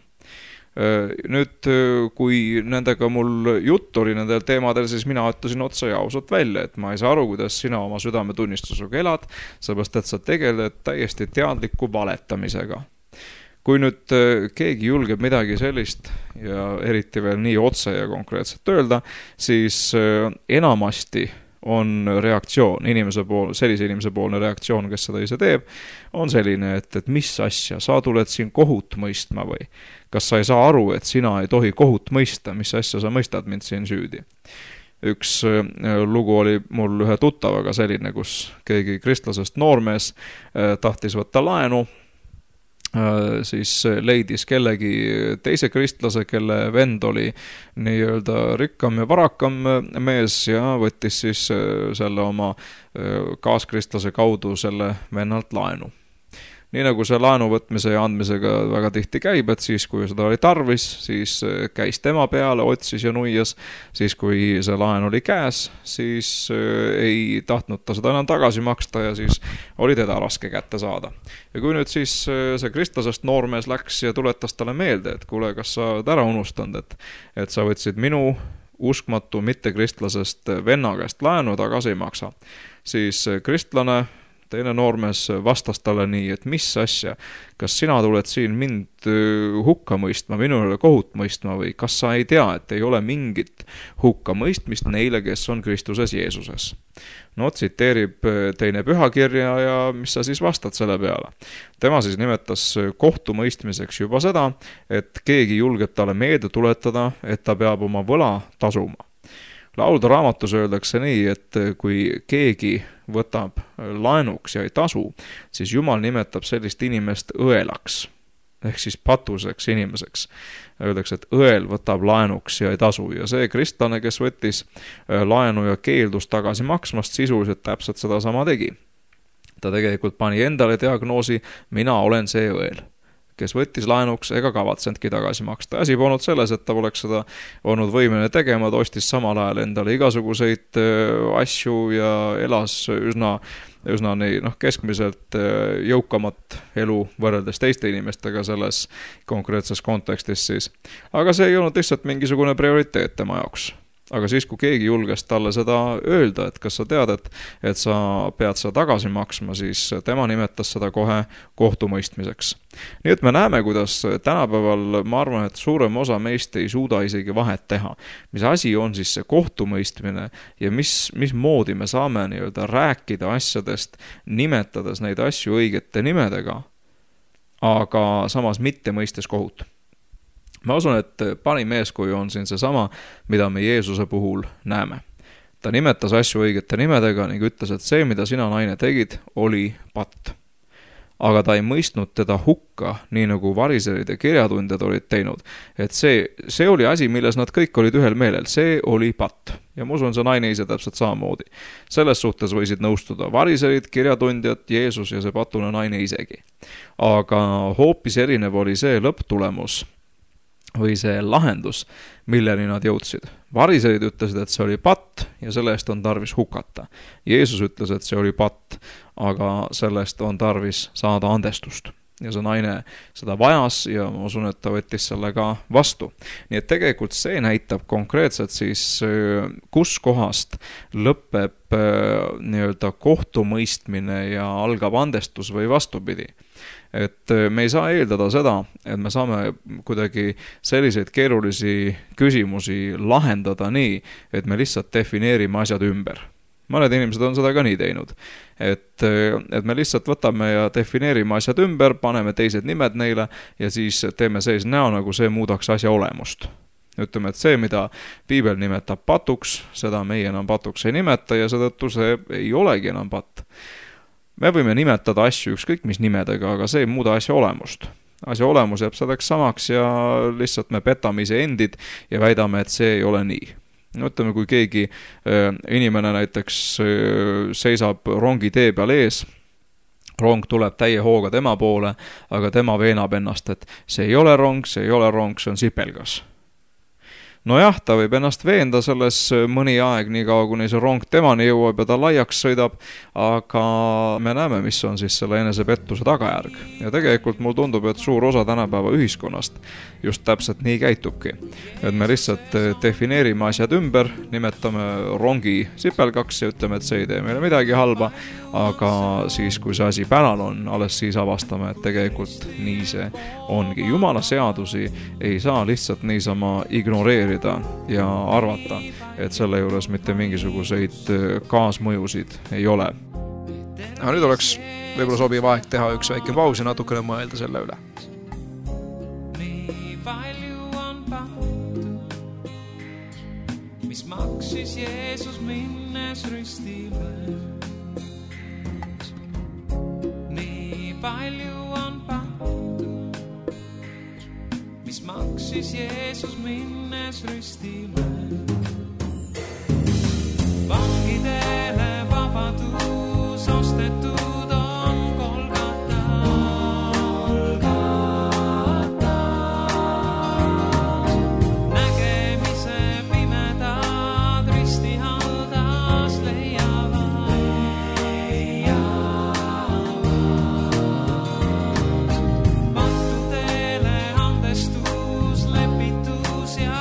Nüüd, kui nendega mul jutt oli nendel teemadel, siis mina ütlesin otsa ja ausalt välja, et ma ei saa aru, kuidas sina oma südametunnistusega elad, seepärast et sa tegeled täiesti teadliku valetamisega. Kui nüüd keegi julgeb midagi sellist ja eriti veel nii otse ja konkreetselt öelda, siis enamasti on reaktsioon, inimese pool, sellise inimese poolne reaktsioon, kes seda ise teeb, on selline, et, et mis asja, sa tuled siin kohut mõistma või? Kas sa ei saa aru, et sina ei tohi kohut mõista, mis asja sa mõistad mind siin süüdi? Üks lugu oli mul ühe tuttavaga selline, kus keegi kristlasest noormees tahtis võtta laenu, siis leidis kellegi teise kristlase, kelle vend oli nii-öelda rikkam ja varakam mees ja võttis siis selle oma kaaskristlase kaudu selle vennalt laenu. Nii nagu see laenu võtmise ja andmisega väga tihti käib, et siis kui seda oli tarvis, siis käis tema peale, otsis ja nuias, siis kui see laen oli käes, siis ei tahtnud ta seda enam tagasi maksta ja siis oli teda raske kätte saada. Ja kui nüüd siis see kristlasest noormees läks ja tuletas talle meelde, et kuule, kas sa oled ära unustanud, et, et sa võtsid minu uskmatu mittekristlasest venna käest laenu tagasi ei maksa, siis kristlane teine noormees vastas talle nii, et mis asja, kas sina tuled siin mind hukka mõistma, minule kohut mõistma või kas sa ei tea, et ei ole mingit hukka mõistmist neile, kes on Kristuses Jeesuses. No tsiteerib teine pühakirja ja mis sa siis vastad selle peale. Tema siis nimetas kohtumõistmiseks juba seda, et keegi julgeb talle meelde tuletada, et ta peab oma võla tasuma. Laulude raamatus öeldakse nii, et kui keegi võtab laenuks ja ei tasu, siis Jumal nimetab sellist inimest õelaks, ehk siis patuseks inimeseks. Öeldakse, et õel võtab laenuks ja ei tasu ja see kristlane, kes võttis laenu ja keeldus tagasi maksmast, sisuliselt täpselt seda sama tegi. Ta tegelikult pani endale diagnoosi, mina olen see õel, kes võttis laenuks ega kavatsenudki tagasi maksta. Asi polnud selles, et ta poleks seda olnud võimeline tegema, ta ostis samal ajal endale igasuguseid asju ja elas üsna, üsna nii, noh, keskmiselt jõukamat elu võrreldes teiste inimestega selles konkreetses kontekstis siis. Aga see ei olnud lihtsalt mingisugune prioriteet tema jaoks. aga siis, kui keegi julges talle seda öelda, et kas sa tead, et, et sa pead seda tagasi maksma, siis tema nimetas seda kohe kohtumõistmiseks. Nii et me näeme, kuidas tänapäeval, ma arvan, et suurem osa meist ei suuda isegi vahet teha. Mis asi on siis see kohtumõistmine ja mis, mis moodi me saame nii-öelda rääkida asjadest, nimetades neid asju õigete nimedega, aga samas mitte mõistes kohut. Ma usun, et parim eeskuju on siin seesama, mida me Jeesuse puhul näeme. Ta nimetas asju õigete nimedega ning ütles, et see, mida sina, naine, tegid, oli patt. Aga ta ei mõistnud teda hukka, nii nagu variserid ja kirjatundjad olid teinud. Et see, see oli asi, milles nad kõik olid ühel meelel. See oli patt. Ja ma usun, see naine ise täpselt samamoodi. Selles suhtes võisid nõustuda variserid, kirjatundjad, Jeesus ja see patune naine isegi. Aga hoopis erinev oli see lõpptulemus või see lahendus, milleni nad jõudsid. Variserid ütlesid, et see oli patt ja selle eest on tarvis hukata. Jeesus ütles, et see oli patt, aga sellest on tarvis saada andestust. Ja see naine seda vajas ja ma usun, et ta võttis selle ka vastu. Nii et tegelikult see näitab konkreetselt siis, kus kohast lõpeb nii-öelda kohtumõistmine ja algab andestus või vastupidi. Et me ei saa eeldada seda, et me saame kuidagi selliseid keerulisi küsimusi lahendada nii, et me lihtsalt defineerime asjad ümber. Mõned inimesed on seda ka nii teinud. Et, et me lihtsalt võtame ja defineerime asjad ümber, paneme teised nimed neile ja siis teeme sees näo, nagu see muudaks asja olemust. Ütleme, et see, mida piibel nimetab patuks, seda meie enam patuks ei nimeta ja seetõttu see ei olegi enam patt. Me võime nimetada asju ükskõik mis nimedega, aga see ei muuda asja olemust. Asja olemus jääb selleks samaks ja lihtsalt me petame ise endid ja väidame, et see ei ole nii. No ütleme, kui keegi inimene näiteks seisab rongi tee peal ees, rong tuleb täie hooga tema poole, aga tema veenab ennast, et see ei ole rong, see ei ole rong, see on sipelgas. No jah, ta võib ennast veenda selles mõni aeg, nii kaua kuni see rong temani jõuab ja ta laiaks sõidab, aga me näeme, mis on siis selle enesepettuse tagajärg. Ja tegelikult mul tundub, et suur osa tänapäeva ühiskonnast just täpselt nii käitubki. Et me lihtsalt defineerime asjad ümber, nimetame rongi sipelgaks ja ütleme, et see ei tee meile midagi halba, aga siis, kui see asi päral on, alles siis avastame, et tegelikult nii see ongi. Jumala seadusi ei saa lihtsalt niisama ignoreerida ja arvata, et selle juures mitte mingisuguseid kaasmõjusid ei ole. Aga nüüd oleks võib-olla sobiv aeg teha üks väike paus ja natukene mõelda selle üle. Nii palju on patud, mis maksis Jeesus minnes ristile. Nii palju on patud, mis maksis Jeesus minnes ristile. Vangidele vabadus ostetud on Golgata. Nägemise pimedad ristihaldas leiavad. Pattudele andestus, lepitus ja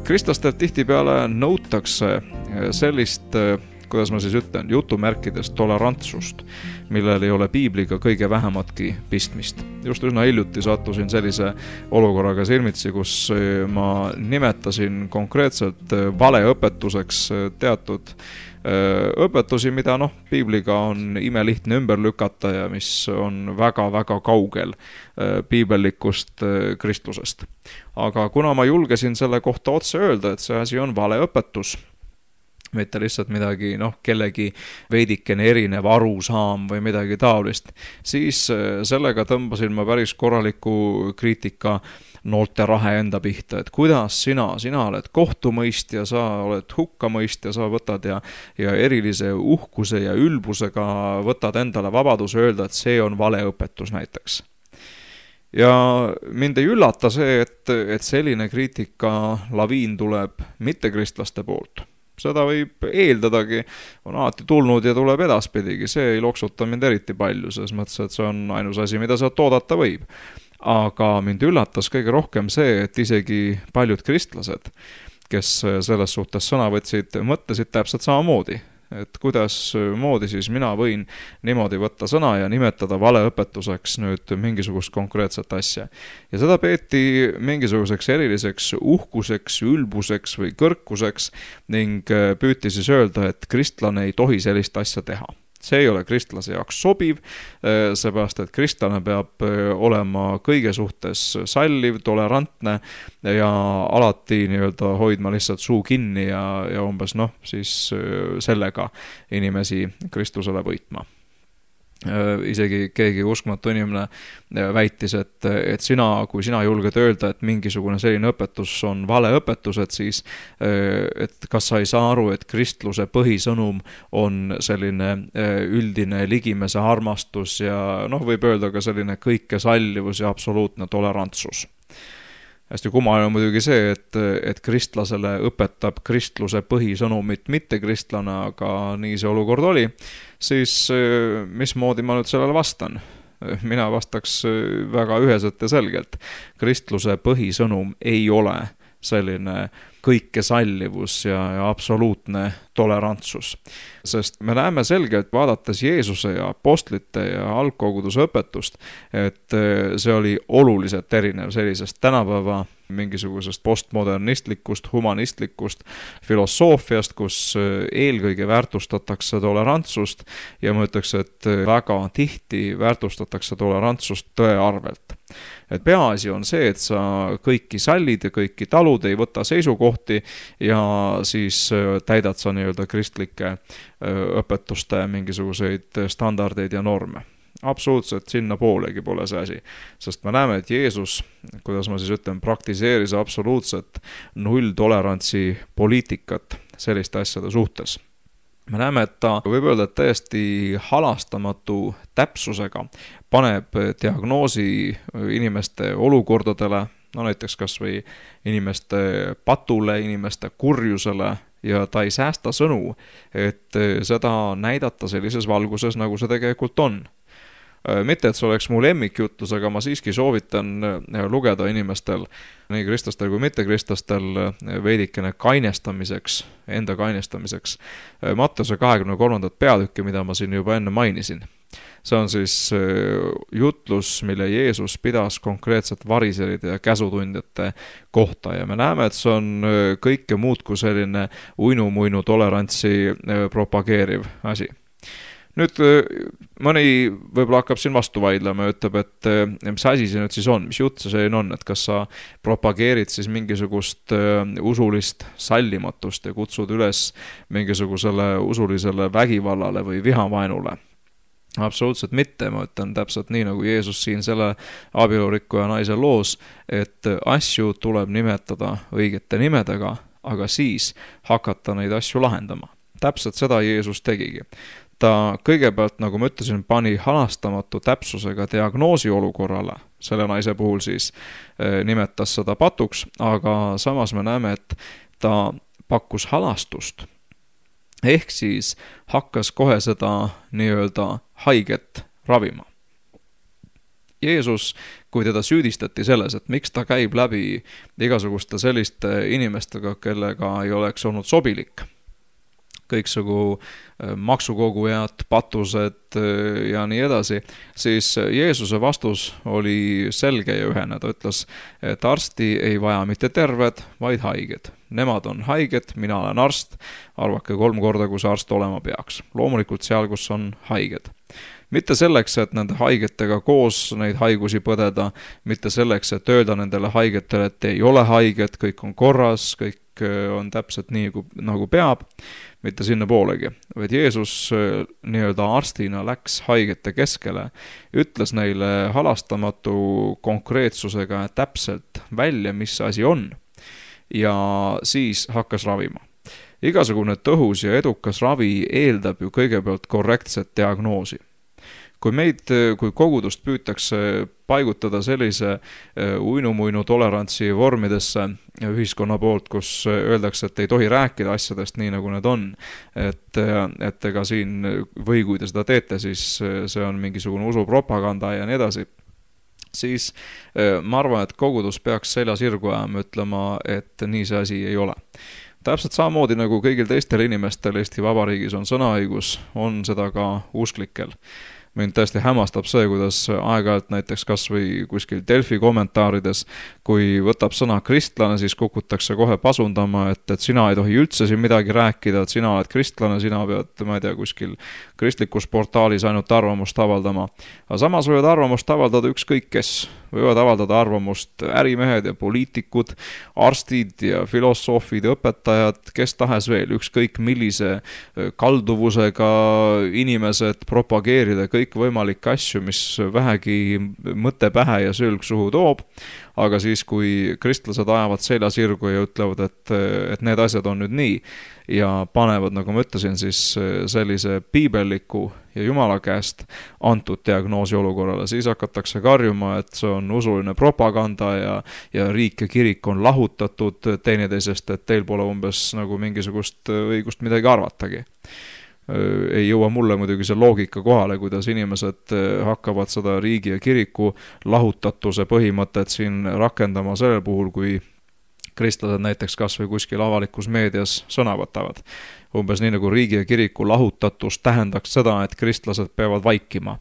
Kristlastelt tihtipeale nõutakse sellist, kuidas ma siis ütlen, jutumärkides tolerantsust, millel ei ole piibliga kõige vähematki pistmist. Just üsna hiljuti sattusin sellise olukorraga silmitsi, kus ma nimetasin konkreetselt valeõpetuseks teatud õpetusi, mida noh, piibliga on imelihtne ümber lükata ja mis on väga-väga kaugel piibellikust kristlusest. Aga kuna ma julgesin selle kohta otse öelda, et see asi on valeõpetus, mitte lihtsalt midagi, noh, kellegi veidikene erinev arusaam või midagi taolist, siis sellega tõmbasin ma päris korraliku kriitika noolte rahe enda pihta, et kuidas sina, sina oled kohtumõistja, sa oled hukkamõistja, sa võtad ja, ja erilise uhkuse ja ülbusega võtad endale vabaduse öelda, et see on valeõpetus näiteks. Ja mind ei üllata see, et, et selline kriitika laviin tuleb mittekristlaste poolt. Seda võib eeldadagi, on alati tulnud ja tuleb edaspidigi, see ei loksuta mind eriti palju, selles mõttes, et see on ainus asi, mida sealt oodata võib. Aga mind üllatas kõige rohkem see, et isegi paljud kristlased, kes selles suhtes sõna võtsid, mõtlesid täpselt samamoodi. Et kuidas moodi siis mina võin niimoodi võtta sõna ja nimetada valeõpetuseks nüüd mingisugust konkreetset asja. Ja seda peeti mingisuguseks eriliseks uhkuseks, ülbuseks või kõrkuseks ning püüti siis öelda, et kristlane ei tohi sellist asja teha. See ei ole kristlase jaoks sobiv, seepärast, et kristlane peab olema kõige suhtes salliv, tolerantne ja alati nii-öelda hoidma lihtsalt suu kinni ja, ja umbes noh, siis sellega inimesi Kristusele võitma. Isegi keegi uskmatu inimene väitis, et, et sina, kui sina julged öelda, et mingisugune selline õpetus on valeõpetus, et siis, et kas sa ei saa aru, et kristluse põhisõnum on selline üldine ligimese armastus ja noh, võib öelda ka selline kõike sallivus ja absoluutne tolerantsus. Hästi kummaline on muidugi see, et, et kristlasele õpetab kristluse põhisõnumit mitte kristlane, aga nii see olukord oli, siis mismoodi ma nüüd sellele vastan? Mina vastaks väga üheselt ja selgelt. Kristluse põhisõnum ei ole selline kõike sallivus ja, ja absoluutne tolerantsus. Sest me näeme selgelt, vaadates Jeesuse ja apostlite ja algkoguduse õpetust, et see oli oluliselt erinev sellisest tänapäeva mingisugusest postmodernistlikust, humanistlikust filosoofiast, kus eelkõige väärtustatakse tolerantsust ja ma ütleks, et väga tihti väärtustatakse tolerantsust tõe arvelt. Et peaasi on see, et sa kõiki sallid ja kõiki talud, ei võta seisukohti ja siis täidad sa nii-öelda kristlike õpetuste mingisuguseid standardeid ja norme. Absoluutselt sinna poolegi pole see asi, sest me näeme, et Jeesus, kuidas ma siis ütlen, praktiseeris absoluutset nulltolerantsi poliitikat selliste asjade suhtes. Me näeme, et ta võib öelda, et täiesti halastamatu täpsusega paneb diagnoosi inimeste olukordadele, no näiteks kas või inimeste patule, inimeste kurjusele, ja ta ei säästa sõnu, et seda näidata sellises valguses, nagu see tegelikult on. Mitte, et see oleks mu lemmikjutlus, aga ma siiski soovitan lugeda inimestel, nii kristlastel kui mittekristlastel, veidikene kainestamiseks, enda kainestamiseks Matteuse kahekümne kolmandat peatükki, mida ma siin juba enne mainisin. See on siis jutlus, mille Jeesus pidas konkreetselt variseride ja käsutundjate kohta ja me näeme, et see on kõike muud kui selline uinu-muinu tolerantsi propageeriv asi. Nüüd mõni võib-olla hakkab siin vastu vaidlema ja ütleb, et mis asi see nüüd siis on, mis jutt see selline on, et kas sa propageerid siis mingisugust usulist sallimatust ja kutsud üles mingisugusele usulisele vägivallale või vihavaenule. Absoluutselt mitte, ma ütlen täpselt nii, nagu Jeesus siin selle abielurikkuja naise loos, et asju tuleb nimetada õigete nimedega, aga siis hakata neid asju lahendama. Täpselt seda Jeesus tegigi. Ta kõigepealt, nagu ma ütlesin, pani halastamatu täpsusega diagnoosi olukorrale, selle naise puhul siis nimetas seda patuks, aga samas me näeme, et ta pakkus halastust, ehk siis hakkas kohe seda nii-öelda haiget ravima. Jeesus, kui teda süüdistati selles, et miks ta käib läbi igasuguste selliste inimestega, kellega ei oleks olnud sobilik, kõiksugu maksukogujad, patused ja nii edasi, siis Jeesuse vastus oli selge ja ühene. Ta ütles, et arsti ei vaja mitte terved, vaid haiged. Nemad on haiged, mina olen arst, arvake kolm korda, kus arst olema peaks. Loomulikult seal, kus on haiged. Mitte selleks, et nende haigetega koos neid haigusi põdeda, mitte selleks, et öelda nendele haigetele, et ei ole haiget, kõik on korras, kõik on täpselt nii, nagu peab, mitte sinna poolegi. Vaid Jeesus nii-öelda arstina läks haigete keskele, ütles neile halastamatu konkreetsusega täpselt välja, mis asi on, ja siis hakkas ravima. Igasugune tõhus ja edukas ravi eeldab ju kõigepealt korrektset diagnoosi. Kui meid, kui kogudust püütakse paigutada sellise uinu-muinu tolerantsi vormidesse ühiskonna poolt, kus öeldakse, et ei tohi rääkida asjadest nii, nagu need on, et, et ega siin, või kui te seda teete, siis see on mingisugune usupropaganda ja nii edasi, siis ma arvan, et kogudus peaks selja sirgu ajama, ütlema, et nii see asi ei ole. Täpselt samamoodi nagu kõigil teistel inimestel Eesti Vabariigis on sõnaõigus, on seda ka usklikel. Mind tõesti hämmastab see, kuidas aeg-ajalt näiteks kas või kuskil Delfi kommentaarides, kui võtab sõna kristlane, siis kukutakse kohe pasundama, et, et sina ei tohi üldse siin midagi rääkida, et sina oled kristlane, sina pead, ma ei tea, kuskil kristlikus portaalis ainult arvamust avaldama. Aga samas võivad arvamust avaldada ükskõik kes. Võivad avaldada arvamust ärimehed ja poliitikud, arstid ja filosoofid, õpetajad, kes tahes veel, ükskõik millise kalduvusega inimesed propageerida kõik võimalikke asju, mis vähegi mõtte pähe ja sülg suhu toob, aga siis, kui kristlased ajavad selja sirgu ja ütlevad, et, et need asjad on nüüd nii ja panevad, nagu ma ütlesin, siis sellise piibelliku ja Jumala käest antud diagnoosi olukorrale, siis hakatakse karjuma, et see on usuline propaganda ja, ja riik ja kirik on lahutatud teineteisest, et teil pole umbes nagu mingisugust õigust midagi arvatagi. Ei jõua mulle muidugi see loogika kohale, kuidas inimesed hakkavad seda riigi ja kiriku lahutatuse põhimõtet siin rakendama sellel puhul, kui kristlased näiteks kas või kuskil avalikus meedias sõna võtavad. Umbes nii nagu riigi ja kiriku lahutatus tähendaks seda, et kristlased peavad vaikima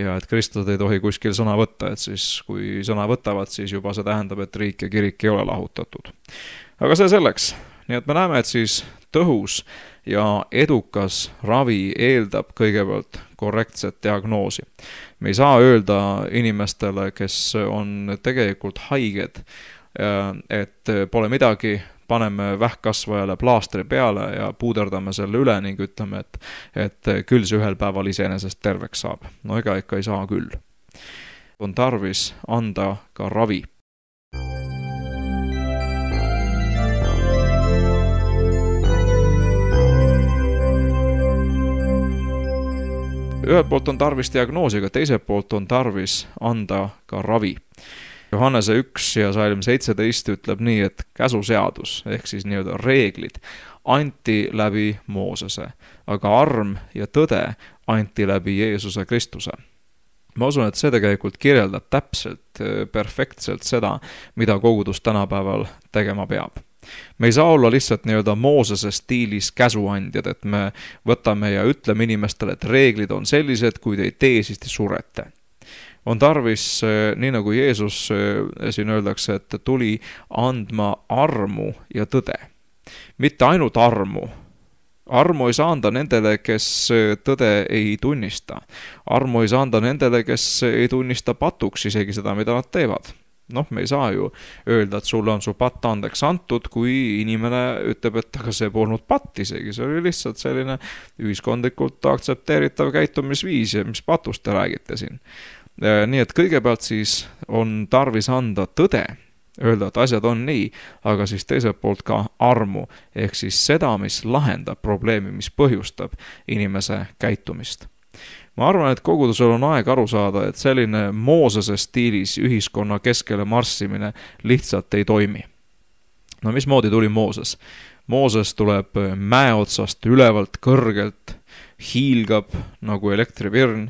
ja et kristlased ei tohi kuskil sõna võtta, et siis kui sõna võtavad, siis juba see tähendab, et riik ja kirik ei ole lahutatud. Aga see selleks. Nii et me näeme, et siis tõhus ja edukas ravi eeldab kõigepealt korrektset diagnoosi. Me ei saa öelda inimestele, kes on tegelikult haiged, et pole midagi, paneme vähkkasvajale plaastri peale ja puuderdame selle üle ning ütleme, et, et küll see ühel päeval iseenesest terveks saab. No ega ikka ei saa küll. On tarvis anda ka ravi. Ühelt poolt on tarvis diagnoosiga, teiselt poolt on tarvis anda ka ravi. Johannese üks ja salm seitseteist ütleb nii, et käsuseadus, ehk siis nii-öelda reeglid, anti läbi Moosese, aga arm ja tõde anti läbi Jeesuse Kristuse. Ma usun, et see tegelikult kirjeldab täpselt, perfektselt seda, mida kogudus tänapäeval tegema peab. Me ei saa olla lihtsalt nii-öelda Moosese stiilis käsuandjad, et me võtame ja ütleme inimestele, et reeglid on sellised, kui te ei tee, siis te surete. On tarvis, nii nagu Jeesus siin öeldakse, et tuli andma armu ja tõde. Mitte ainult armu. Armu ei saa anda nendele, kes tõde ei tunnista. Armu ei saa anda nendele, kes ei tunnista patuks isegi seda, mida nad teevad. Noh, me ei saa ju öelda, et sulle on su patt andeks antud, kui inimene ütleb, et aga see polnud patt isegi. See oli lihtsalt selline ühiskondlikult aktsepteeritav käitumisviis, mis patust te räägite siin. Nii et kõigepealt siis on tarvis anda tõde, öelda, et asjad on nii, aga siis teiselt poolt ka armu, ehk siis seda, mis lahendab probleemi, mis põhjustab inimese käitumist. Ma arvan, et kogudusel on aeg aru saada, et selline Moosese stiilis ühiskonna keskele marssimine lihtsalt ei toimi. No mismoodi tuli Mooses? Mooses tuleb mäe otsast ülevalt kõrgelt, hiilgab nagu elektripirn,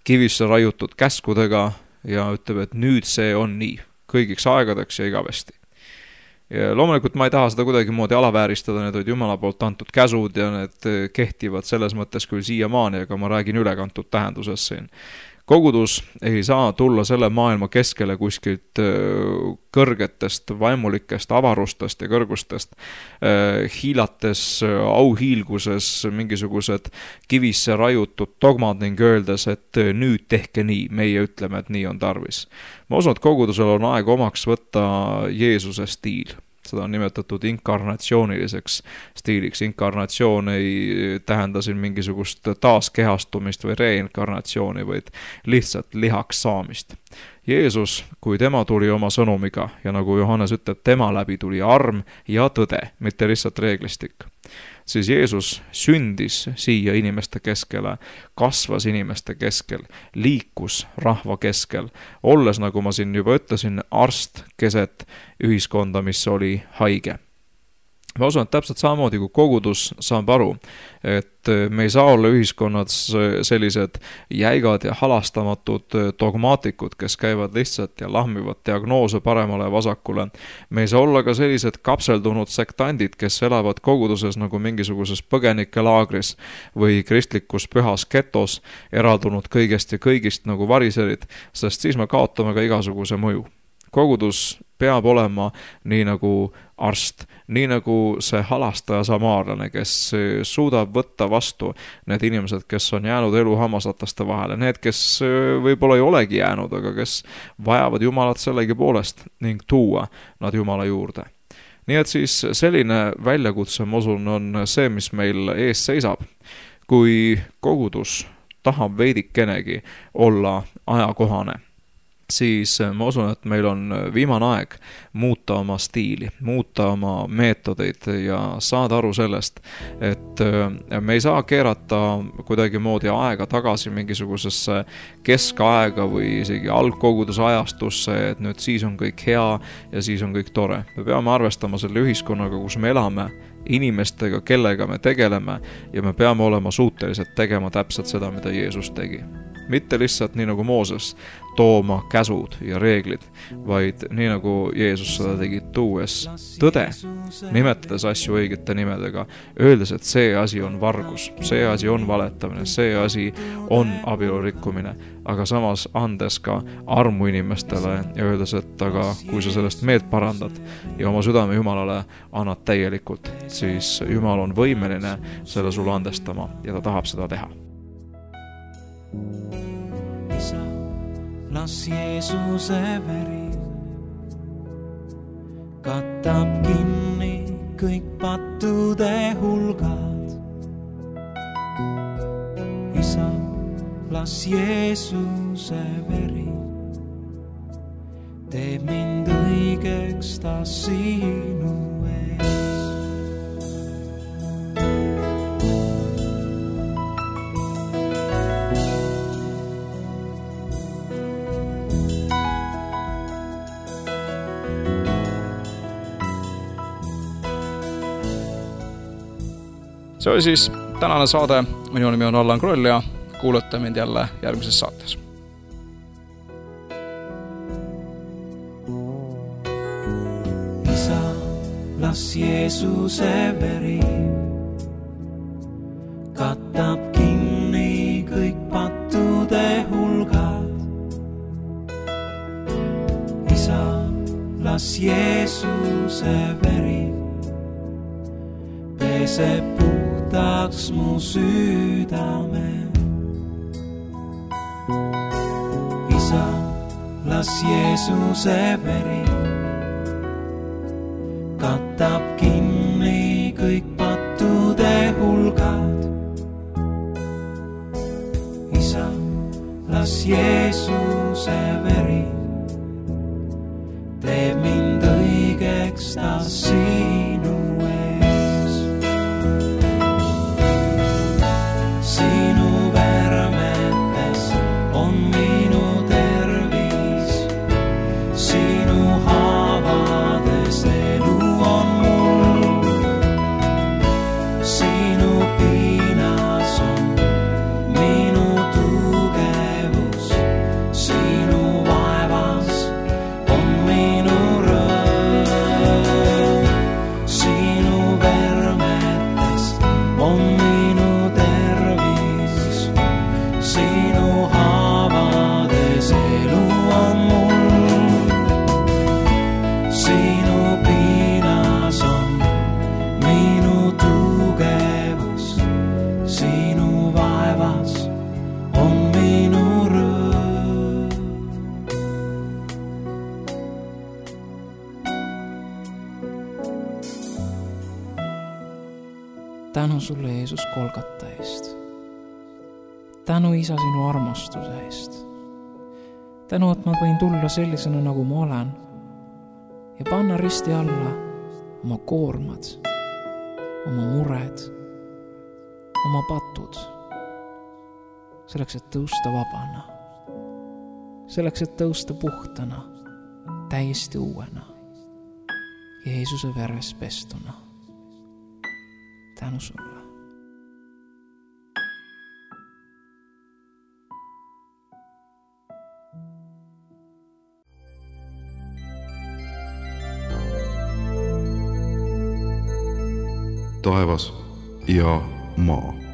kivisse raiutud käskudega ja ütleb, et nüüd see on nii, kõigiks aegadeks ja igavesti. Ja loomulikult ma ei taha seda kuidagi moodi alavääristada, need olid Jumala poolt antud käsud ja need kehtivad selles mõttes küll siiamaani, aga ma räägin ülekantud tähenduses siin. Kogudus ei saa tulla selle maailma keskele kuskilt kõrgetest vaimulikest avarustest ja kõrgustest, hiilates auhiilguses mingisugused kivisse rajutud dogmad ning öeldes, et nüüd tehke nii, meie ütleme, et nii on tarvis. Ma usun, et kogudusel on aeg omaks võtta Jeesuse stiil. Seda on nimetatud inkarnatsiooniliseks stiiliks. Inkarnatsioon ei tähenda siin mingisugust taaskehastumist või reinkarnatsiooni, vaid lihtsalt lihaks saamist. Jeesus, kui tema tuli oma sõnumiga ja nagu Johannes ütleb, tema läbi tuli arm ja tõde, mitte lihtsalt reeglistik, siis Jeesus sündis siia inimeste keskele, kasvas inimeste keskel, liikus rahva keskel, olles, nagu ma siin juba ütlesin, arst keset ühiskonda, mis oli haige. Ma usun, et täpselt samamoodi, kui kogudus saab aru, et me ei saa olla ühiskonnas sellised jäigad ja halastamatud dogmaatikud, kes käivad lihtsalt ja lahmivad diagnoose paremale ja vasakule. Me ei saa olla ka sellised kapseldunud sektandid, kes elavad koguduses nagu mingisuguses põgenikelaagris või kristlikus pühas getos, eraldunud kõigest ja kõigist nagu variserid, sest siis me kaotame ka igasuguse mõju. Kogudus peab olema nii nagu arst, nii nagu see halastaja samaarlane, kes suudab võtta vastu need inimesed, kes on jäänud elu hammasrataste vahele, need, kes võib-olla ei olegi jäänud, aga kes vajavad Jumalat sellegi poolest ning tuua nad Jumala juurde. Nii et siis selline väljakutse, ma usun, on see, mis meil ees seisab. Kui kogudus tahab veidikenegi olla ajakohane, siis ma usun, et meil on viimane aeg muuta oma stiili, muuta oma meetodeid ja saada aru sellest, et me ei saa keerata kuidagi moodi aega tagasi mingisugusesse keskaega või isegi algkoguduse ajastusse, et nüüd siis on kõik hea ja siis on kõik tore. Me peame arvestama selle ühiskonnaga, kus me elame, inimestega, kellega me tegeleme ja me peame olema suutelised tegema täpselt seda, mida Jeesus tegi. Mitte lihtsalt nii nagu Mooses tooma käsud ja reeglid, vaid nii nagu Jeesus seda tegi, tuues tõde, nimetades asju õigete nimedega, öeldes, et see asi on vargus, see asi on valetamine, see asi on abielu rikkumine, aga samas andes ka armu inimestele ja öeldes, et aga kui sa sellest meelt parandad ja oma südame Jumalale annad täielikult, siis Jumal on võimeline selle sulle andestama ja ta tahab seda teha. Isa, las Jeesuse veri katab kinni kõik pattude hulgad. Isa, las Jeesuse veri teeb mind õigeks ta sinu ees. See oli siis tänane saade. Minu nimi on Allan Kroll ja kuulete mind jälle järgmises saates. Isa, las Jeesuse veri katab kinni kõik pattude hulgad. Isa, las Jeesuse veri peseb puhtaks mu südame. Isa, las Jeesuse veri katab kinni kõik pattude hulgad. Isa, las Jeesuse veri teeb mind õigeks ta sinu ees. Sinu vermetes on minu tervis, sinu haavades elu on mu tänu sulle, Jeesus, Golgata eest. Tänu, Isa, sinu armastuse eest. Tänu, et ma võin tulla sellisena, nagu ma olen ja panna risti alla oma koormad, oma mured, oma patud, selleks, et tõusta vabana, selleks, et tõusta puhtana, täiesti uuena, Jeesuse veres pestuna. Tänu sulle. taevas ja maa.